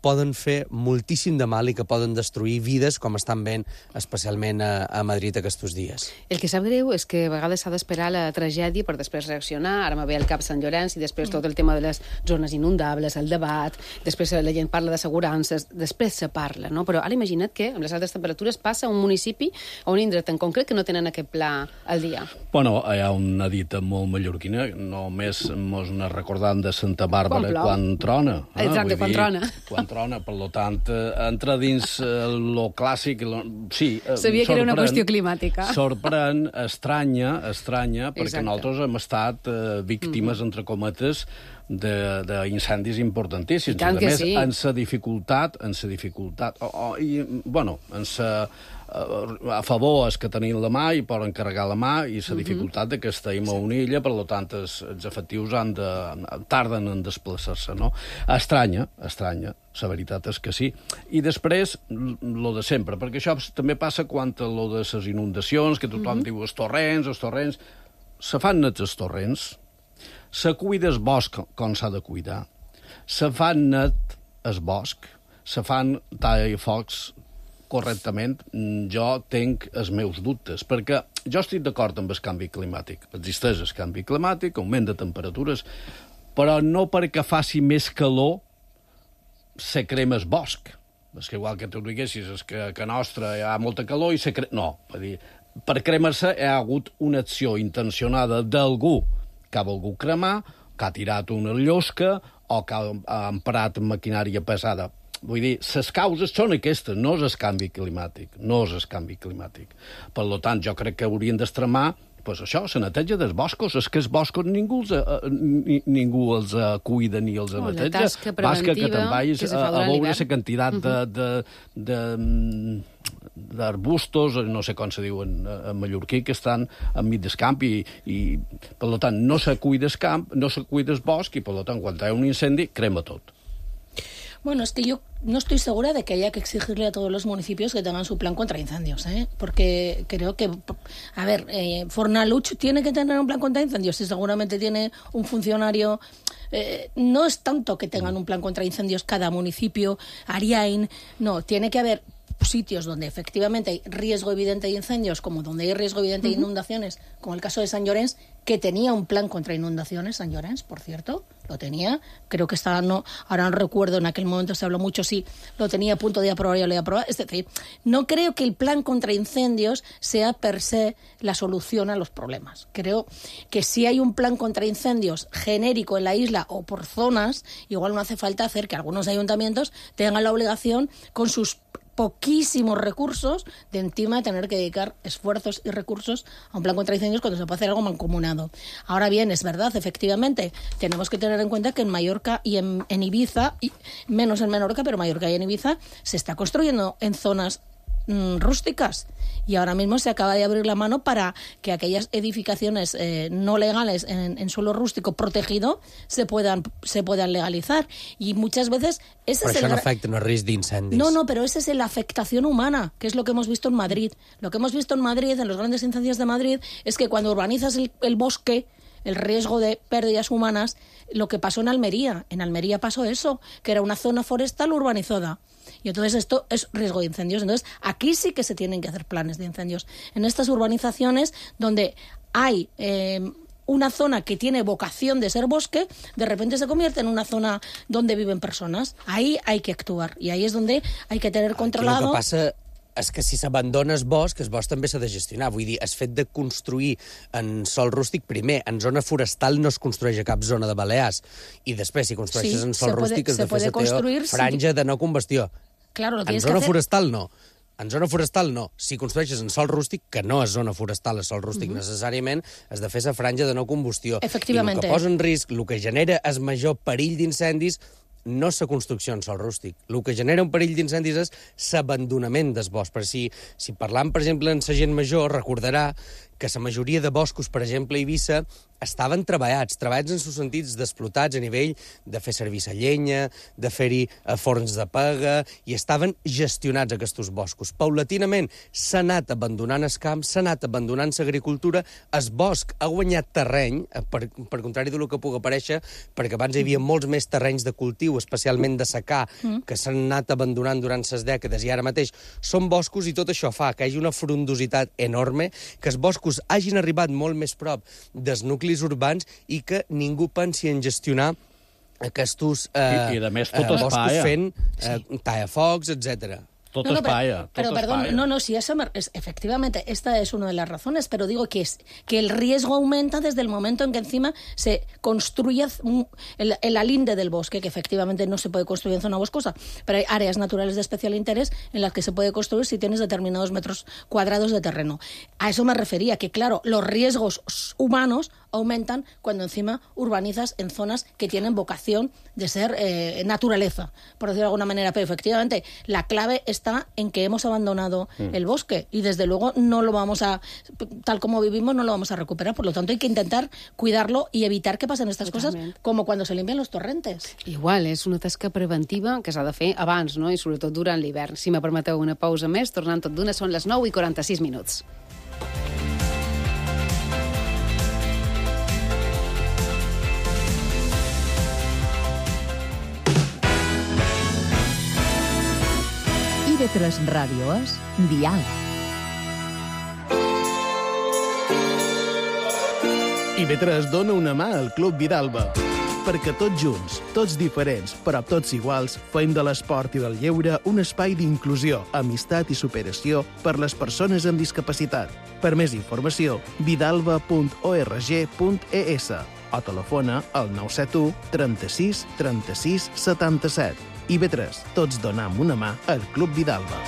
poden fer moltíssim de mal i que poden destruir vides, com estan veient especialment a Madrid aquests dies. El que sap greu és que a vegades s'ha d'esperar la tragèdia per després reaccionar. Ara me ve al cap Sant Llorenç i després tot el tema de les zones inundables, el debat, després la gent parla d'assegurances, després se parla, no? Però ara imagina't que amb les altes temperatures passa a un municipi o un indret en concret que no tenen aquest pla al dia. Bueno, hi ha una dita molt mallorquina, només mos n'ha recordant de Santa Bàrbara quan trona. Exacte, quan trona. Quan trona, per tant, entra dins lo clàssic... Sí, sabia que era una qüestió climàtica. Sorprèn, estranya, perquè nosaltres hem estat víctimes, entre cometes, d'incendis importantíssims. I tant que sí. En sa dificultat, a favor és que tenim la mà i poden carregar la mà i la dificultat que estem a una illa, per tant els efectius tarden en desplaçar-se, no? Estranya, la veritat és que sí. I després, lo de sempre, perquè això també passa quan lo de les inundacions, que tothom diu els torrents, se fan nets els torrents, se cuida el bosc com s'ha de cuidar, se fan net el bosc, se fan tallafocs correctament. Jo tinc els meus dubtes, perquè jo estic d'acord amb el canvi climàtic. Existeix el canvi climàtic, augment de temperatures, però no perquè faci més calor se crema el bosc. És que igual que tu diguessis que a nostra hi ha molta calor i se crema... No, per cremar-se hi ha hagut una acció intencionada d'algú que ha volgut cremar, que ha tirat una llosca o que ha emprat maquinària pesada. Vull dir, les causes són aquestes, no és el canvi climàtic, Per tant, jo crec que haurien d'extremar això, la neteja dels boscos. És que els boscos ningú els cuida ni els neteja. Basta que te'n vagis a veure la quantitat d'arbustos, no sé com se diuen en mallorquí, que estan enmig del camp i per tant, no se cuida el camp, no se cuida el bosc i, per tant, quan hi ha un incendi, crema tot. Bueno, es que yo no estoy segura de que haya que exigirle a todos los municipios que tengan su plan contra incendios, porque creo que, a ver, Fornaluch tiene que tener un plan contra incendios y seguramente tiene un funcionario. No es tanto que tengan un plan contra incendios cada municipio, Ariain, no, tiene que haber sitios donde efectivamente hay riesgo evidente de incendios, como donde hay riesgo evidente de inundaciones, como el caso de Sant Llorenç, que tenía un plan contra inundaciones, Sant Llorenç, por cierto, Lo tenía, creo que estaba, no, ahora no recuerdo, en aquel momento se habló mucho, sí, lo tenía a punto de aprobar y lo iba a aprobar. Es decir, no creo que el plan contra incendios sea per se la solución a los problemas. Creo que si hay un plan contra incendios genérico en la isla o por zonas, igual no hace falta hacer que algunos ayuntamientos tengan la obligación con sus poquísimos recursos de encima tener que dedicar esfuerzos y recursos a un plan contra incendios cuando se puede hacer algo mancomunado. Ahora bien, es verdad, efectivamente, tenemos que tener en cuenta que en Mallorca y en Ibiza, y menos en Menorca, pero Mallorca y en Ibiza, se está construyendo en zonas rústicas y ahora mismo se acaba de abrir la mano para que aquellas edificaciones no legales en suelo rústico protegido se puedan legalizar i muchas veces ese però es això el no afecta no risc d'incendis. No, pero esa es la afectación humana, que es lo que hemos visto en Madrid. Lo que hemos visto en Madrid, en los grandes incendios de Madrid, es que cuando urbanizas el bosque, el riesgo de pérdidas humanas, lo que pasó en Almería pasó eso, que era una zona forestal urbanizada. Y entonces esto es riesgo de incendios. Entonces aquí sí que se tienen que hacer planes de incendios. En estas urbanizaciones donde hay una zona que tiene vocación de ser bosque, de repente se convierte en una zona donde viven personas. Ahí hay que actuar y ahí es donde hay que tener controlado... El que passa és que si s'abandona el bosc també s'ha de gestionar. Vull dir, el fet de construir en sòl rústic, primer, en zona forestal no es construeix a cap zona de Balears, i després, si construeixes en sòl rústic, has de fer la franja de no combustió. Claro, en zona forestal no. En zona forestal no. Si construeixes en sòl rústic, que no és zona forestal, és sòl rústic necessàriament, has de fer la franja de no combustió. Efectivament. I el que posa en risc, el que genera el major perill d'incendis, no és la construcció en sòl rústic. El que genera un perill d'incendis és l'abandonament del bosc. Per si parlam, per exemple, amb la gent major, recordarà que la majoria de boscos, per exemple, a Eivissa, estaven treballats en els sentits d'explotats a nivell de fer servir la llenya, de fer-hi forns de pega, i estaven gestionats aquests boscos. Paulatinament s'ha anat abandonant el camp, s'ha anat abandonant l'agricultura, el bosc ha guanyat terreny, per contrari del que pugui aparèixer, perquè abans hi havia molts més terrenys de cultiu, especialment de secà, que s'han anat abandonant durant les dècades, i ara mateix són boscos, i tot això fa que hi hagi una frondositat enorme, que els boscos hagin arribat molt més prop dels nuclis urbans i que ningú pensi en gestionar aquests boscos fent tallafocs, etc. Sí, eso efectivamente, esta es una de las razones, pero digo que el riesgo aumenta desde el momento en que encima se construye el alinde del bosque, que efectivamente no se puede construir en zona boscosa, pero hay áreas naturales de especial interés en las que se puede construir si tienes determinados metros cuadrados de terreno. A eso me refería, que claro, los riesgos humanos aumentan cuando encima urbanizas en zonas que tienen vocación de ser naturaleza, por decirlo de alguna manera. Pero efectivamente la clave está en que hemos abandonado el bosque y desde luego no lo vamos a, tal como vivimos, no lo vamos a recuperar. Por lo tanto hay que intentar cuidarlo y evitar que pasen estas cosas como cuando se limpian los torrentes. Igual, és una tasca preventiva que s'ha de fer abans, no? I sobretot durant l'hivern. Si me permeteu una pausa més, tornant tot d'una, són les 9:46. TV3 Ràdio és Dial. IB3 dona una mà al Club Vidalba, perquè tots junts, tots diferents, però tots iguals, fem de l'esport i del lleure un espai d'inclusió, amistat i superació per les persones amb discapacitat. Per més informació, vidalba.org.es o telefona al 971 36 36 77. IB3, tots donam una mà al Club Vidalba.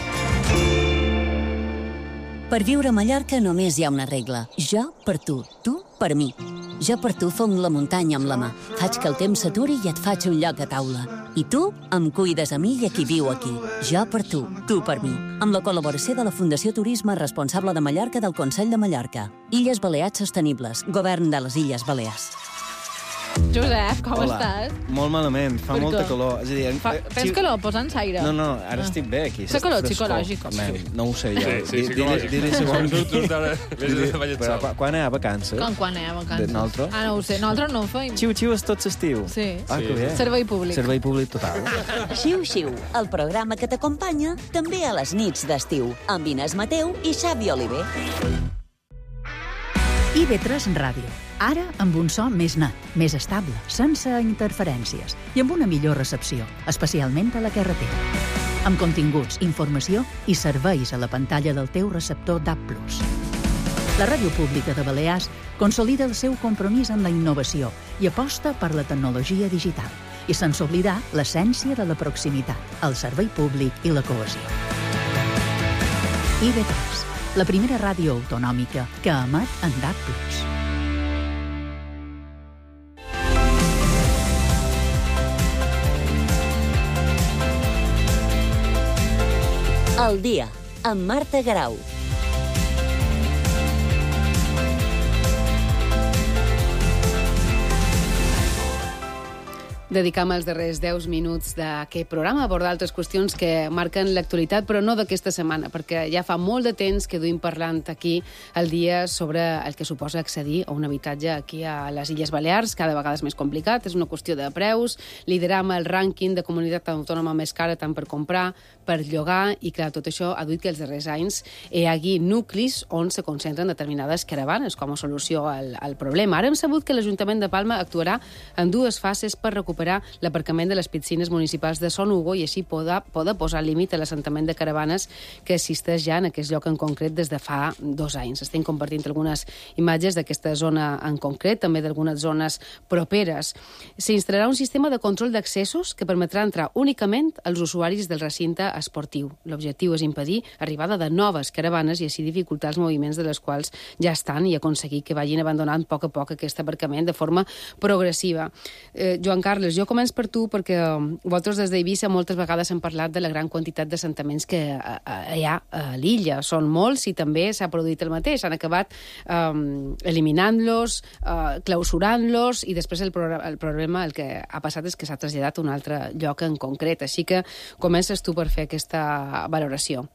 Per viure a Mallorca només hi ha una regla. Jo per tu, tu per mi. Jo per tu fong la muntanya amb la mà. Faig que el temps s'aturi i et faig un lloc a taula. I tu em cuides a mi i a qui viu aquí. Jo per tu, tu per mi. Amb la col·laboració de la Fundació Turisme Responsable de Mallorca del Consell de Mallorca. Illes Balears Sostenibles. Govern de les Illes Balears. Josep, com estàs? Molt malament, fa molta calor. És a dir, tens calor? Posa'ns aire. No, ara estic bé aquí. Fa calor psicològic. No ho sé, jo. Sí, Però quan hi ha vacances? Quan hi ha vacances? Nosaltres? No ho sé, nosaltres no ho feim. Xiu-xiu és tot l'estiu. Sí. Que bé. Servei públic. Servei públic total. Xiu-xiu, el programa que t'acompanya també a les nits d'estiu, amb Inés Mateu i Xavi Oliver. IB3 Ràdio. Ara amb un so més net, més estable, sense interferències i amb una millor recepció, especialment a la carretera. Amb continguts, informació i serveis a la pantalla del teu receptor DAB+. La Ràdio Pública de Balears consolida el seu compromís amb la innovació i aposta per la tecnologia digital. I sense oblidar l'essència de la proximitat, el servei públic i la cohesió. IB3, la primera ràdio autonòmica que emet en DAB+. El dia, amb Marta Garau. Dedicam els darrers 10 minuts d'aquest programa a abordar altres qüestions que marquen l'actualitat, però no d'aquesta setmana, perquè ja fa molt de temps que duim parlant aquí el dia sobre el que suposa accedir a un habitatge aquí a les Illes Balears, cada vegada és més complicat, és una qüestió de preus, lideram el rànquing de comunitat autònoma més cara tant per comprar, per llogar, i clar, tot això ha duit que els darrers anys hi hagi nuclis on se concentren determinades caravanes com a solució al problema. Ara hem sabut que l'Ajuntament de Palma actuarà en 2 fases per recuperar l'aparcament de les piscines municipals de Son Hugo i així poder posar límit a l'assentament de caravanes que existeix ja en aquest lloc en concret des de fa 2 anys. Estem compartint algunes imatges d'aquesta zona en concret, també d'algunes zones properes. S'instal·larà un sistema de control d'accessos que permetrà entrar únicament als usuaris del recinte esportiu. L'objectiu és impedir l'arribada de noves caravanes i així dificultar els moviments de les quals ja estan i aconseguir que vagin abandonant a poc aquest aparcament de forma progressiva. Joan Carles, jo començo per tu perquè vosaltres des d'Eivissa moltes vegades hem parlat de la gran quantitat d'assentaments que hi ha a l'illa. Són molts i també s'ha produït el mateix. Han acabat eliminant-los, clausurant-los i després el problema el que ha passat és que s'ha traslladat a un altre lloc en concret. Així que comences tu per fer aquesta valoració.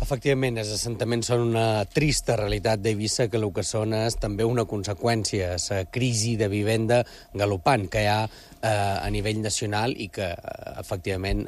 Efectivament, els assentaments són una trista realitat d'Eivissa que el que són és també una conseqüència, la crisi de vivenda galopant que hi ha a nivell nacional i que, efectivament,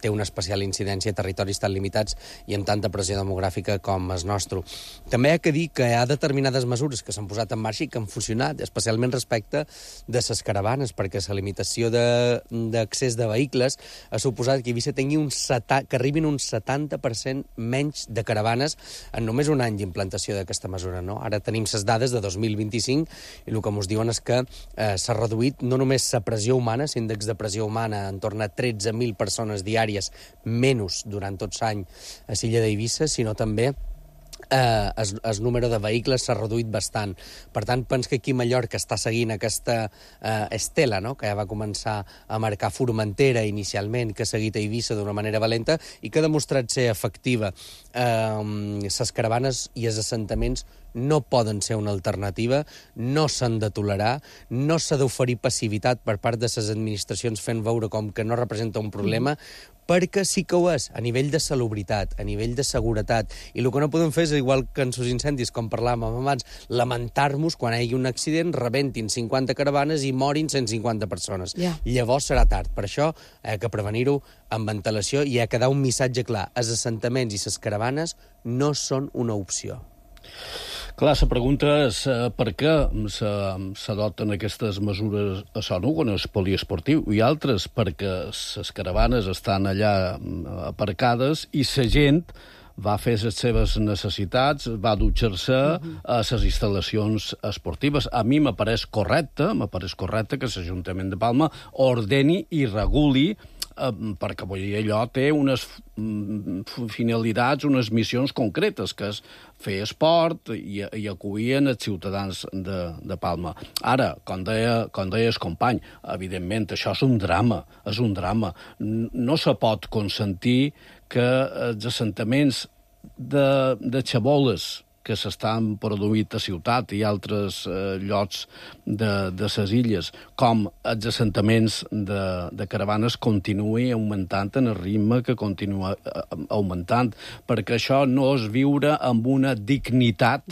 té una especial incidència a territoris tan limitats i amb tanta pressió demogràfica com el nostre. També hi ha que dir que hi ha determinades mesures que s'han posat en marxa i que han funcionat, especialment respecte de les caravanes, perquè la limitació d'accés de vehicles ha suposat que Eivissa tingui que arribin un 70% menys de caravanes en només un any d'implantació d'aquesta mesura. No? Ara tenim les dades de 2025 i el que ens diuen és que s'ha reduït no només la pressió humana, l'índex de pressió humana en torn a 13.000 persones diàries menys durant tot l'any a l'illa d'Eivissa, sinó també el número de vehicles s'ha reduït bastant. Per tant, penso que aquí Mallorca està seguint aquesta estela, no?, que ja va començar a marcar Formentera inicialment, que ha seguit a Eivissa d'una manera valenta i que ha demostrat ser efectiva. Les caravanes i els assentaments no poden ser una alternativa, no s'han de tolerar, no s'ha d'oferir passivitat per part de les administracions fent veure com que no representa un problema, perquè sí que ho és, a nivell de salubritat, a nivell de seguretat. I el que no podem fer és, igual que en els incendis, com parlàvem abans, lamentar-nos quan hi hagi un accident, rebentin 50 caravanes i morin 150 persones. Llavors serà tard. Per això hi ha que prevenir-ho amb ventilació i hi ha que dar un missatge clar. Els assentaments i les caravanes no són una opció. Clar, la pregunta és per què s'adopten aquestes mesures a Son Hugo, en el poliesportiu, i altres perquè les caravanes estan allà aparcades i la gent va fer les seves necessitats, va dutxar-se a les instal·lacions esportives. A mi m'apareix correcte que l'Ajuntament de Palma ordeni i reguli perquè allò té unes finalitats, unes missions concretes, que és fer esport i acollir els ciutadans de Palma. Ara, com deia el company, evidentment, això és un drama. No se pot consentir que els assentaments de xaboles que s'estan produint a ciutat i altres llocs de les illes, com els assentaments de caravanes continuï augmentant en el ritme que continua augmentant, perquè això no és viure amb una dignitat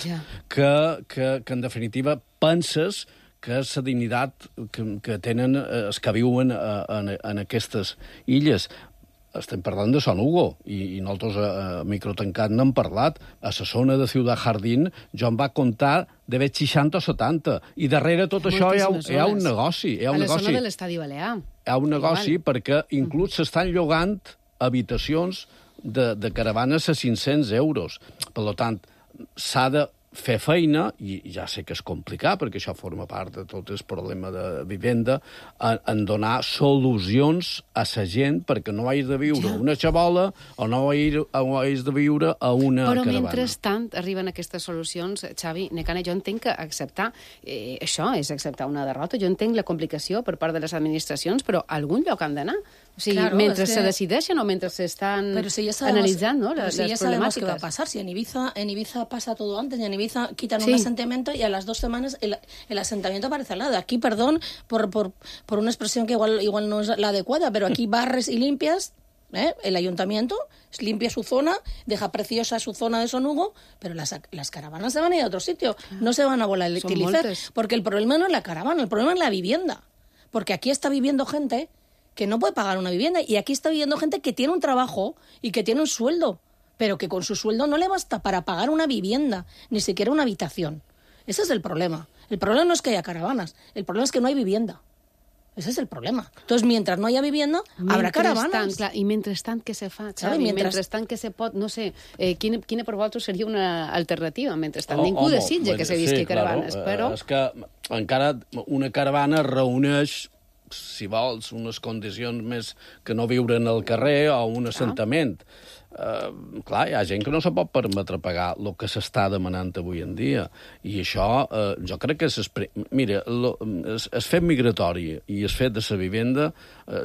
que en definitiva penses que és la dignitat que tenen els que viuen en aquestes illes. estem parlant de Son Hugo, i nosaltres a Microtancat n'hem parlat. A la zona de Ciutat Jardín jo em va comptar d'haver 60 o 70, i darrere tot això hi ha un negoci. A la zona de l'Estadi Balear. Hi ha un negoci perquè inclús s'estan llogant habitacions de caravanes a 500 euros. Per tant, s'ha de fer feina, i ja sé que és complicat, perquè això forma part de tot el problema de vivenda, en donar solucions a la gent perquè no hagis de viure una xabola o no hagis de viure a una caravana. Però mentrestant arriben aquestes solucions, Xavi Nekane, jo entenc que acceptar això és acceptar una derrota. Jo entenc la complicació per part de les administracions, però a algun lloc han d'anar. O sigui, claro, mentre se decideixen o mentre se están analizando, ¿no? Las ya sabemos problemáticas. qué va a pasar. Si en Ibiza pasa todo antes, y en Ibiza quitan un asentamiento y a las 2 semanas el asentamiento aparece al lado. Aquí, perdón por una expresión que igual no es la adecuada, pero aquí barres y limpias, el ayuntamiento limpia su zona, deja preciosa su zona de Son Hugo, pero las caravanas se van a ir a otro sitio, no se van a volatilizar, porque el problema no es la caravana, el problema es la vivienda. Porque aquí está viviendo gente que no puede pagar una vivienda, y aquí está viviendo gente que tiene un trabajo y que tiene un sueldo, pero que con su sueldo no le basta para pagar una vivienda, ni siquiera una habitación. Ese es el problema. El problema no es que haya caravanas, el problema es que no hay vivienda. Ese es el problema. Entonces, mientras no haya vivienda, habrà caravanes. Clar, i mentrestant què se fa, Xavi? Mentrestant què se pot... No sé, quina per vosaltres seria una alternativa? Mentrestant ningú desitja que se visqui caravanes, però... És que encara una caravana reuneix, si vols, unes condicions més que no viure en el carrer o un assentament. Clar, hi ha gent que no se pot permetre pagar el que s'està demanant avui en dia. I això, jo crec que mira, el fet migratori i el fet de la vivenda,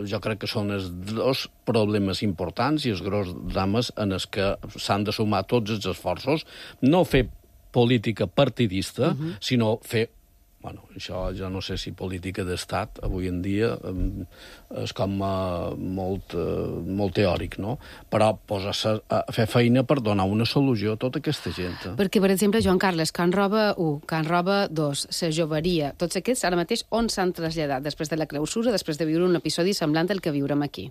jo crec que són els dos problemes importants i els grans drames en els que s'han de sumar tots els esforços. No fer política partidista, sinó fer... Bueno, això ja no sé si política d'estat avui en dia és com molt teòric, no? Però posar-se a fer feina per donar una solució a tota aquesta gent. Perquè, per exemple, Joan Carles, Can Roba 1, Can Roba 2, la Joveria, tots aquests ara mateix on s'han traslladat després de la clausura, després de viure un episodi semblant al que viurem aquí?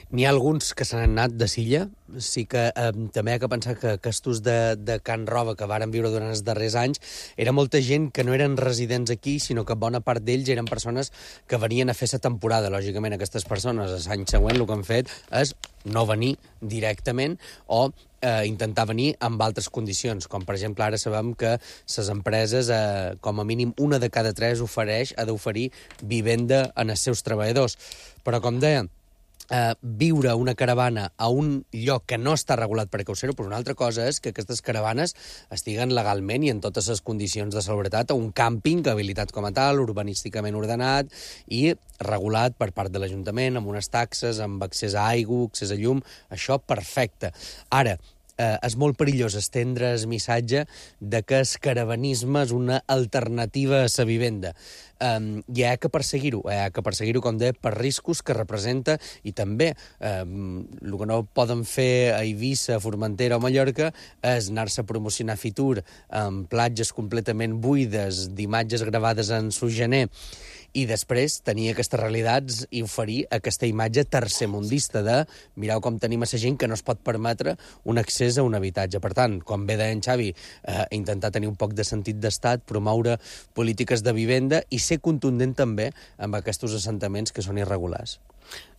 N'hi ha alguns que se n'han anat de Silla. Sí que també hi ha que pensar que aquests de Can Roba que varen viure durant els darrers anys era molta gent que no eren residents aquí, sinó que bona part d'ells eren persones que venien a fer la temporada. Lògicament, aquestes persones, l'any següent, el que han fet és no venir directament o intentar venir amb altres condicions, com per exemple ara sabem que les empreses, com a mínim una de cada 3 ha d'oferir vivenda en els seus treballadors. Però com deia, viure una caravana a un lloc que no està regulat per caucer-ho, però una altra cosa és que aquestes caravanes estiguen legalment i en totes les condicions de seguretat a un càmping habilitat com a tal, urbanísticament ordenat i regulat per part de l'Ajuntament, amb unes taxes, amb accés a aigua, accés a llum, això perfecte. Ara, és molt perillós estendre el missatge de que el caravanisme és una alternativa a la vivenda. I hi ha que perseguir-ho, com deia, per riscos que representa, i també el que no poden fer a Eivissa, Formentera o Mallorca és anar-se a promocionar Fitur amb platges completament buides d'imatges gravades en su gener i després tenir aquestes realitats i oferir aquesta imatge tercermundista de mireu com tenim a la gent que no es pot permetre un accés a un habitatge. Per tant, com bé deia en Xavi, intentar tenir un poc de sentit d'estat, promoure polítiques de vivenda i ser contundent també amb aquests assentaments que són irregulars.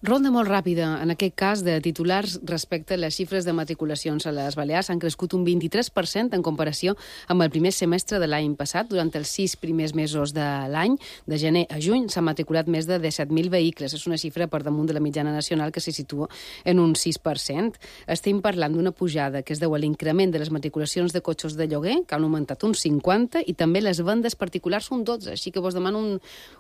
Ronda molt ràpida, en aquest cas, de titulars respecte a les xifres de matriculacions a les Balears. Han crescut un 23% en comparació amb el primer semestre de l'any passat. Durant els 6 primers mesos de l'any, de gener a juny, s'han matriculat més de 17.000 vehicles. És una xifra per damunt de la mitjana nacional que se situa en un 6%. Estem parlant d'una pujada que es deu a l'increment de les matriculacions de cotxes de lloguer, que han augmentat un 50%, i també les vendes particulars un 12%. Així que vos demano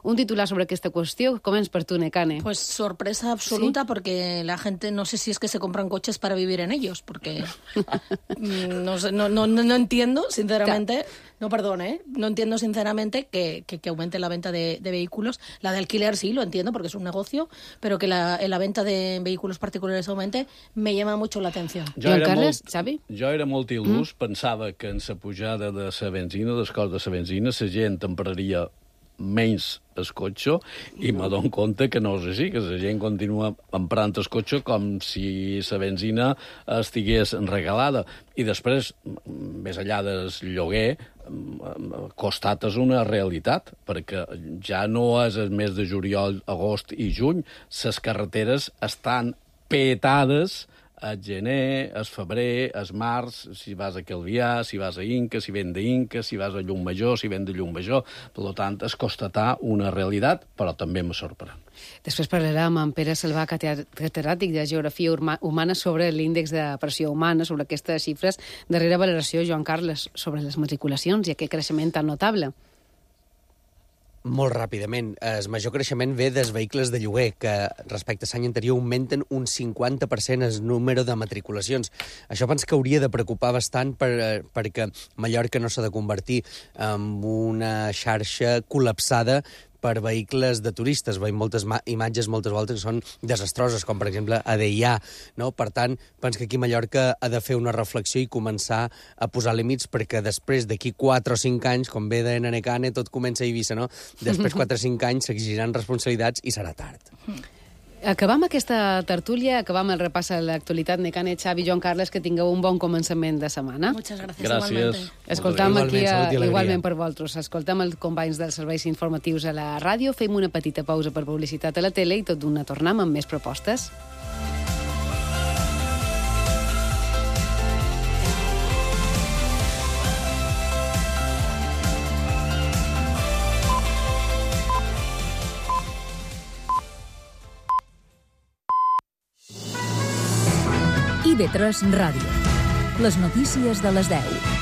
un titular sobre aquesta qüestió. Començ per tu, Nekane. Pues sorpresa absoluta, porque la gente no sé si es que se compran coches para vivir en ellos, porque no entiendo, sinceramente, no entiendo sinceramente que aumente la venta de vehículos. La de alquiler sí, lo entiendo, porque es un negocio, pero que la venta de vehículos particulares aumente, me llama mucho la atención. Joan Carles, Xavi? Jo era molt il·lús, pensava que en la pujada de la benzina, dels costs de la benzina, la gent empraria menys el cotxe, i me dono compte que no és així, que la gent continua emprant el cotxe com si la benzina estigués regalada. I després, més enllà del lloguer, costat és una realitat, perquè ja no és el mes de juliol, agost i juny, les carreteres estan petades al gener, al febrer, al març, si vas a Calvià, si vas a Inca, si ven d'Inca, si vas a Llumajor, si ven de Llumajor. Per tant, és constatar una realitat, però també me sorprèn. Després parlarem amb Pere Salvà, catedràtic de Geografia Humana, sobre l'índex de pressió humana, sobre aquestes xifres. Darrera valoració, Joan Carles, sobre les matriculacions i aquest creixement tan notable. Molt ràpidament. El major creixement ve dels vehicles de lloguer, que respecte a l'any anterior augmenten un 50% el número de matriculacions. Això penso que hauria de preocupar bastant perquè Mallorca no s'ha de convertir en una xarxa col·lapsada per vehicles de turistes. Veiem moltes imatges moltes voltes que són desastroses, com per exemple a Deià, no? Per tant, penso que aquí Mallorca ha de fer una reflexió i començar a posar límits, perquè després d'aquí 4 o 5 anys, com ve de Nanecane, tot comença a Eivissa, no? Després 4 o 5 anys s'exigiran responsabilitats i serà tard. Acabam aquesta tertúlia, acabam el repàs a l'actualitat. Necane, Xavi, Joan Carles, que tingueu un bon començament de setmana. Muchas gracias. Gràcies. Igualmente. Escoltam aquí, igualment per vosaltres, escoltam els companys dels serveis informatius a la ràdio, fem una petita pausa per publicitat a la tele i tot d'una tornem amb més propostes. IB3 Ràdio. Les notícies de les 10.